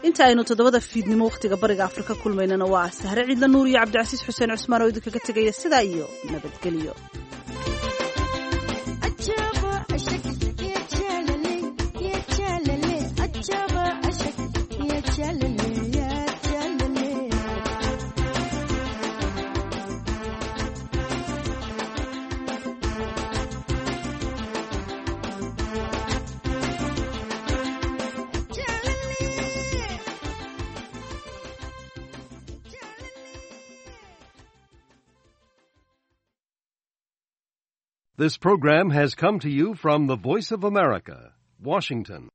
Inta aynu 7da fiidnimo wakhtiga Bariga Afrika kulmaynana, waa Sahre Ciidla Nuur iyo Cabdicasiis Xuseen Cusmaan oo idinkaga tegaya sidaa iyo nabadgelyo. This program has come to you from the Voice of America, Washington.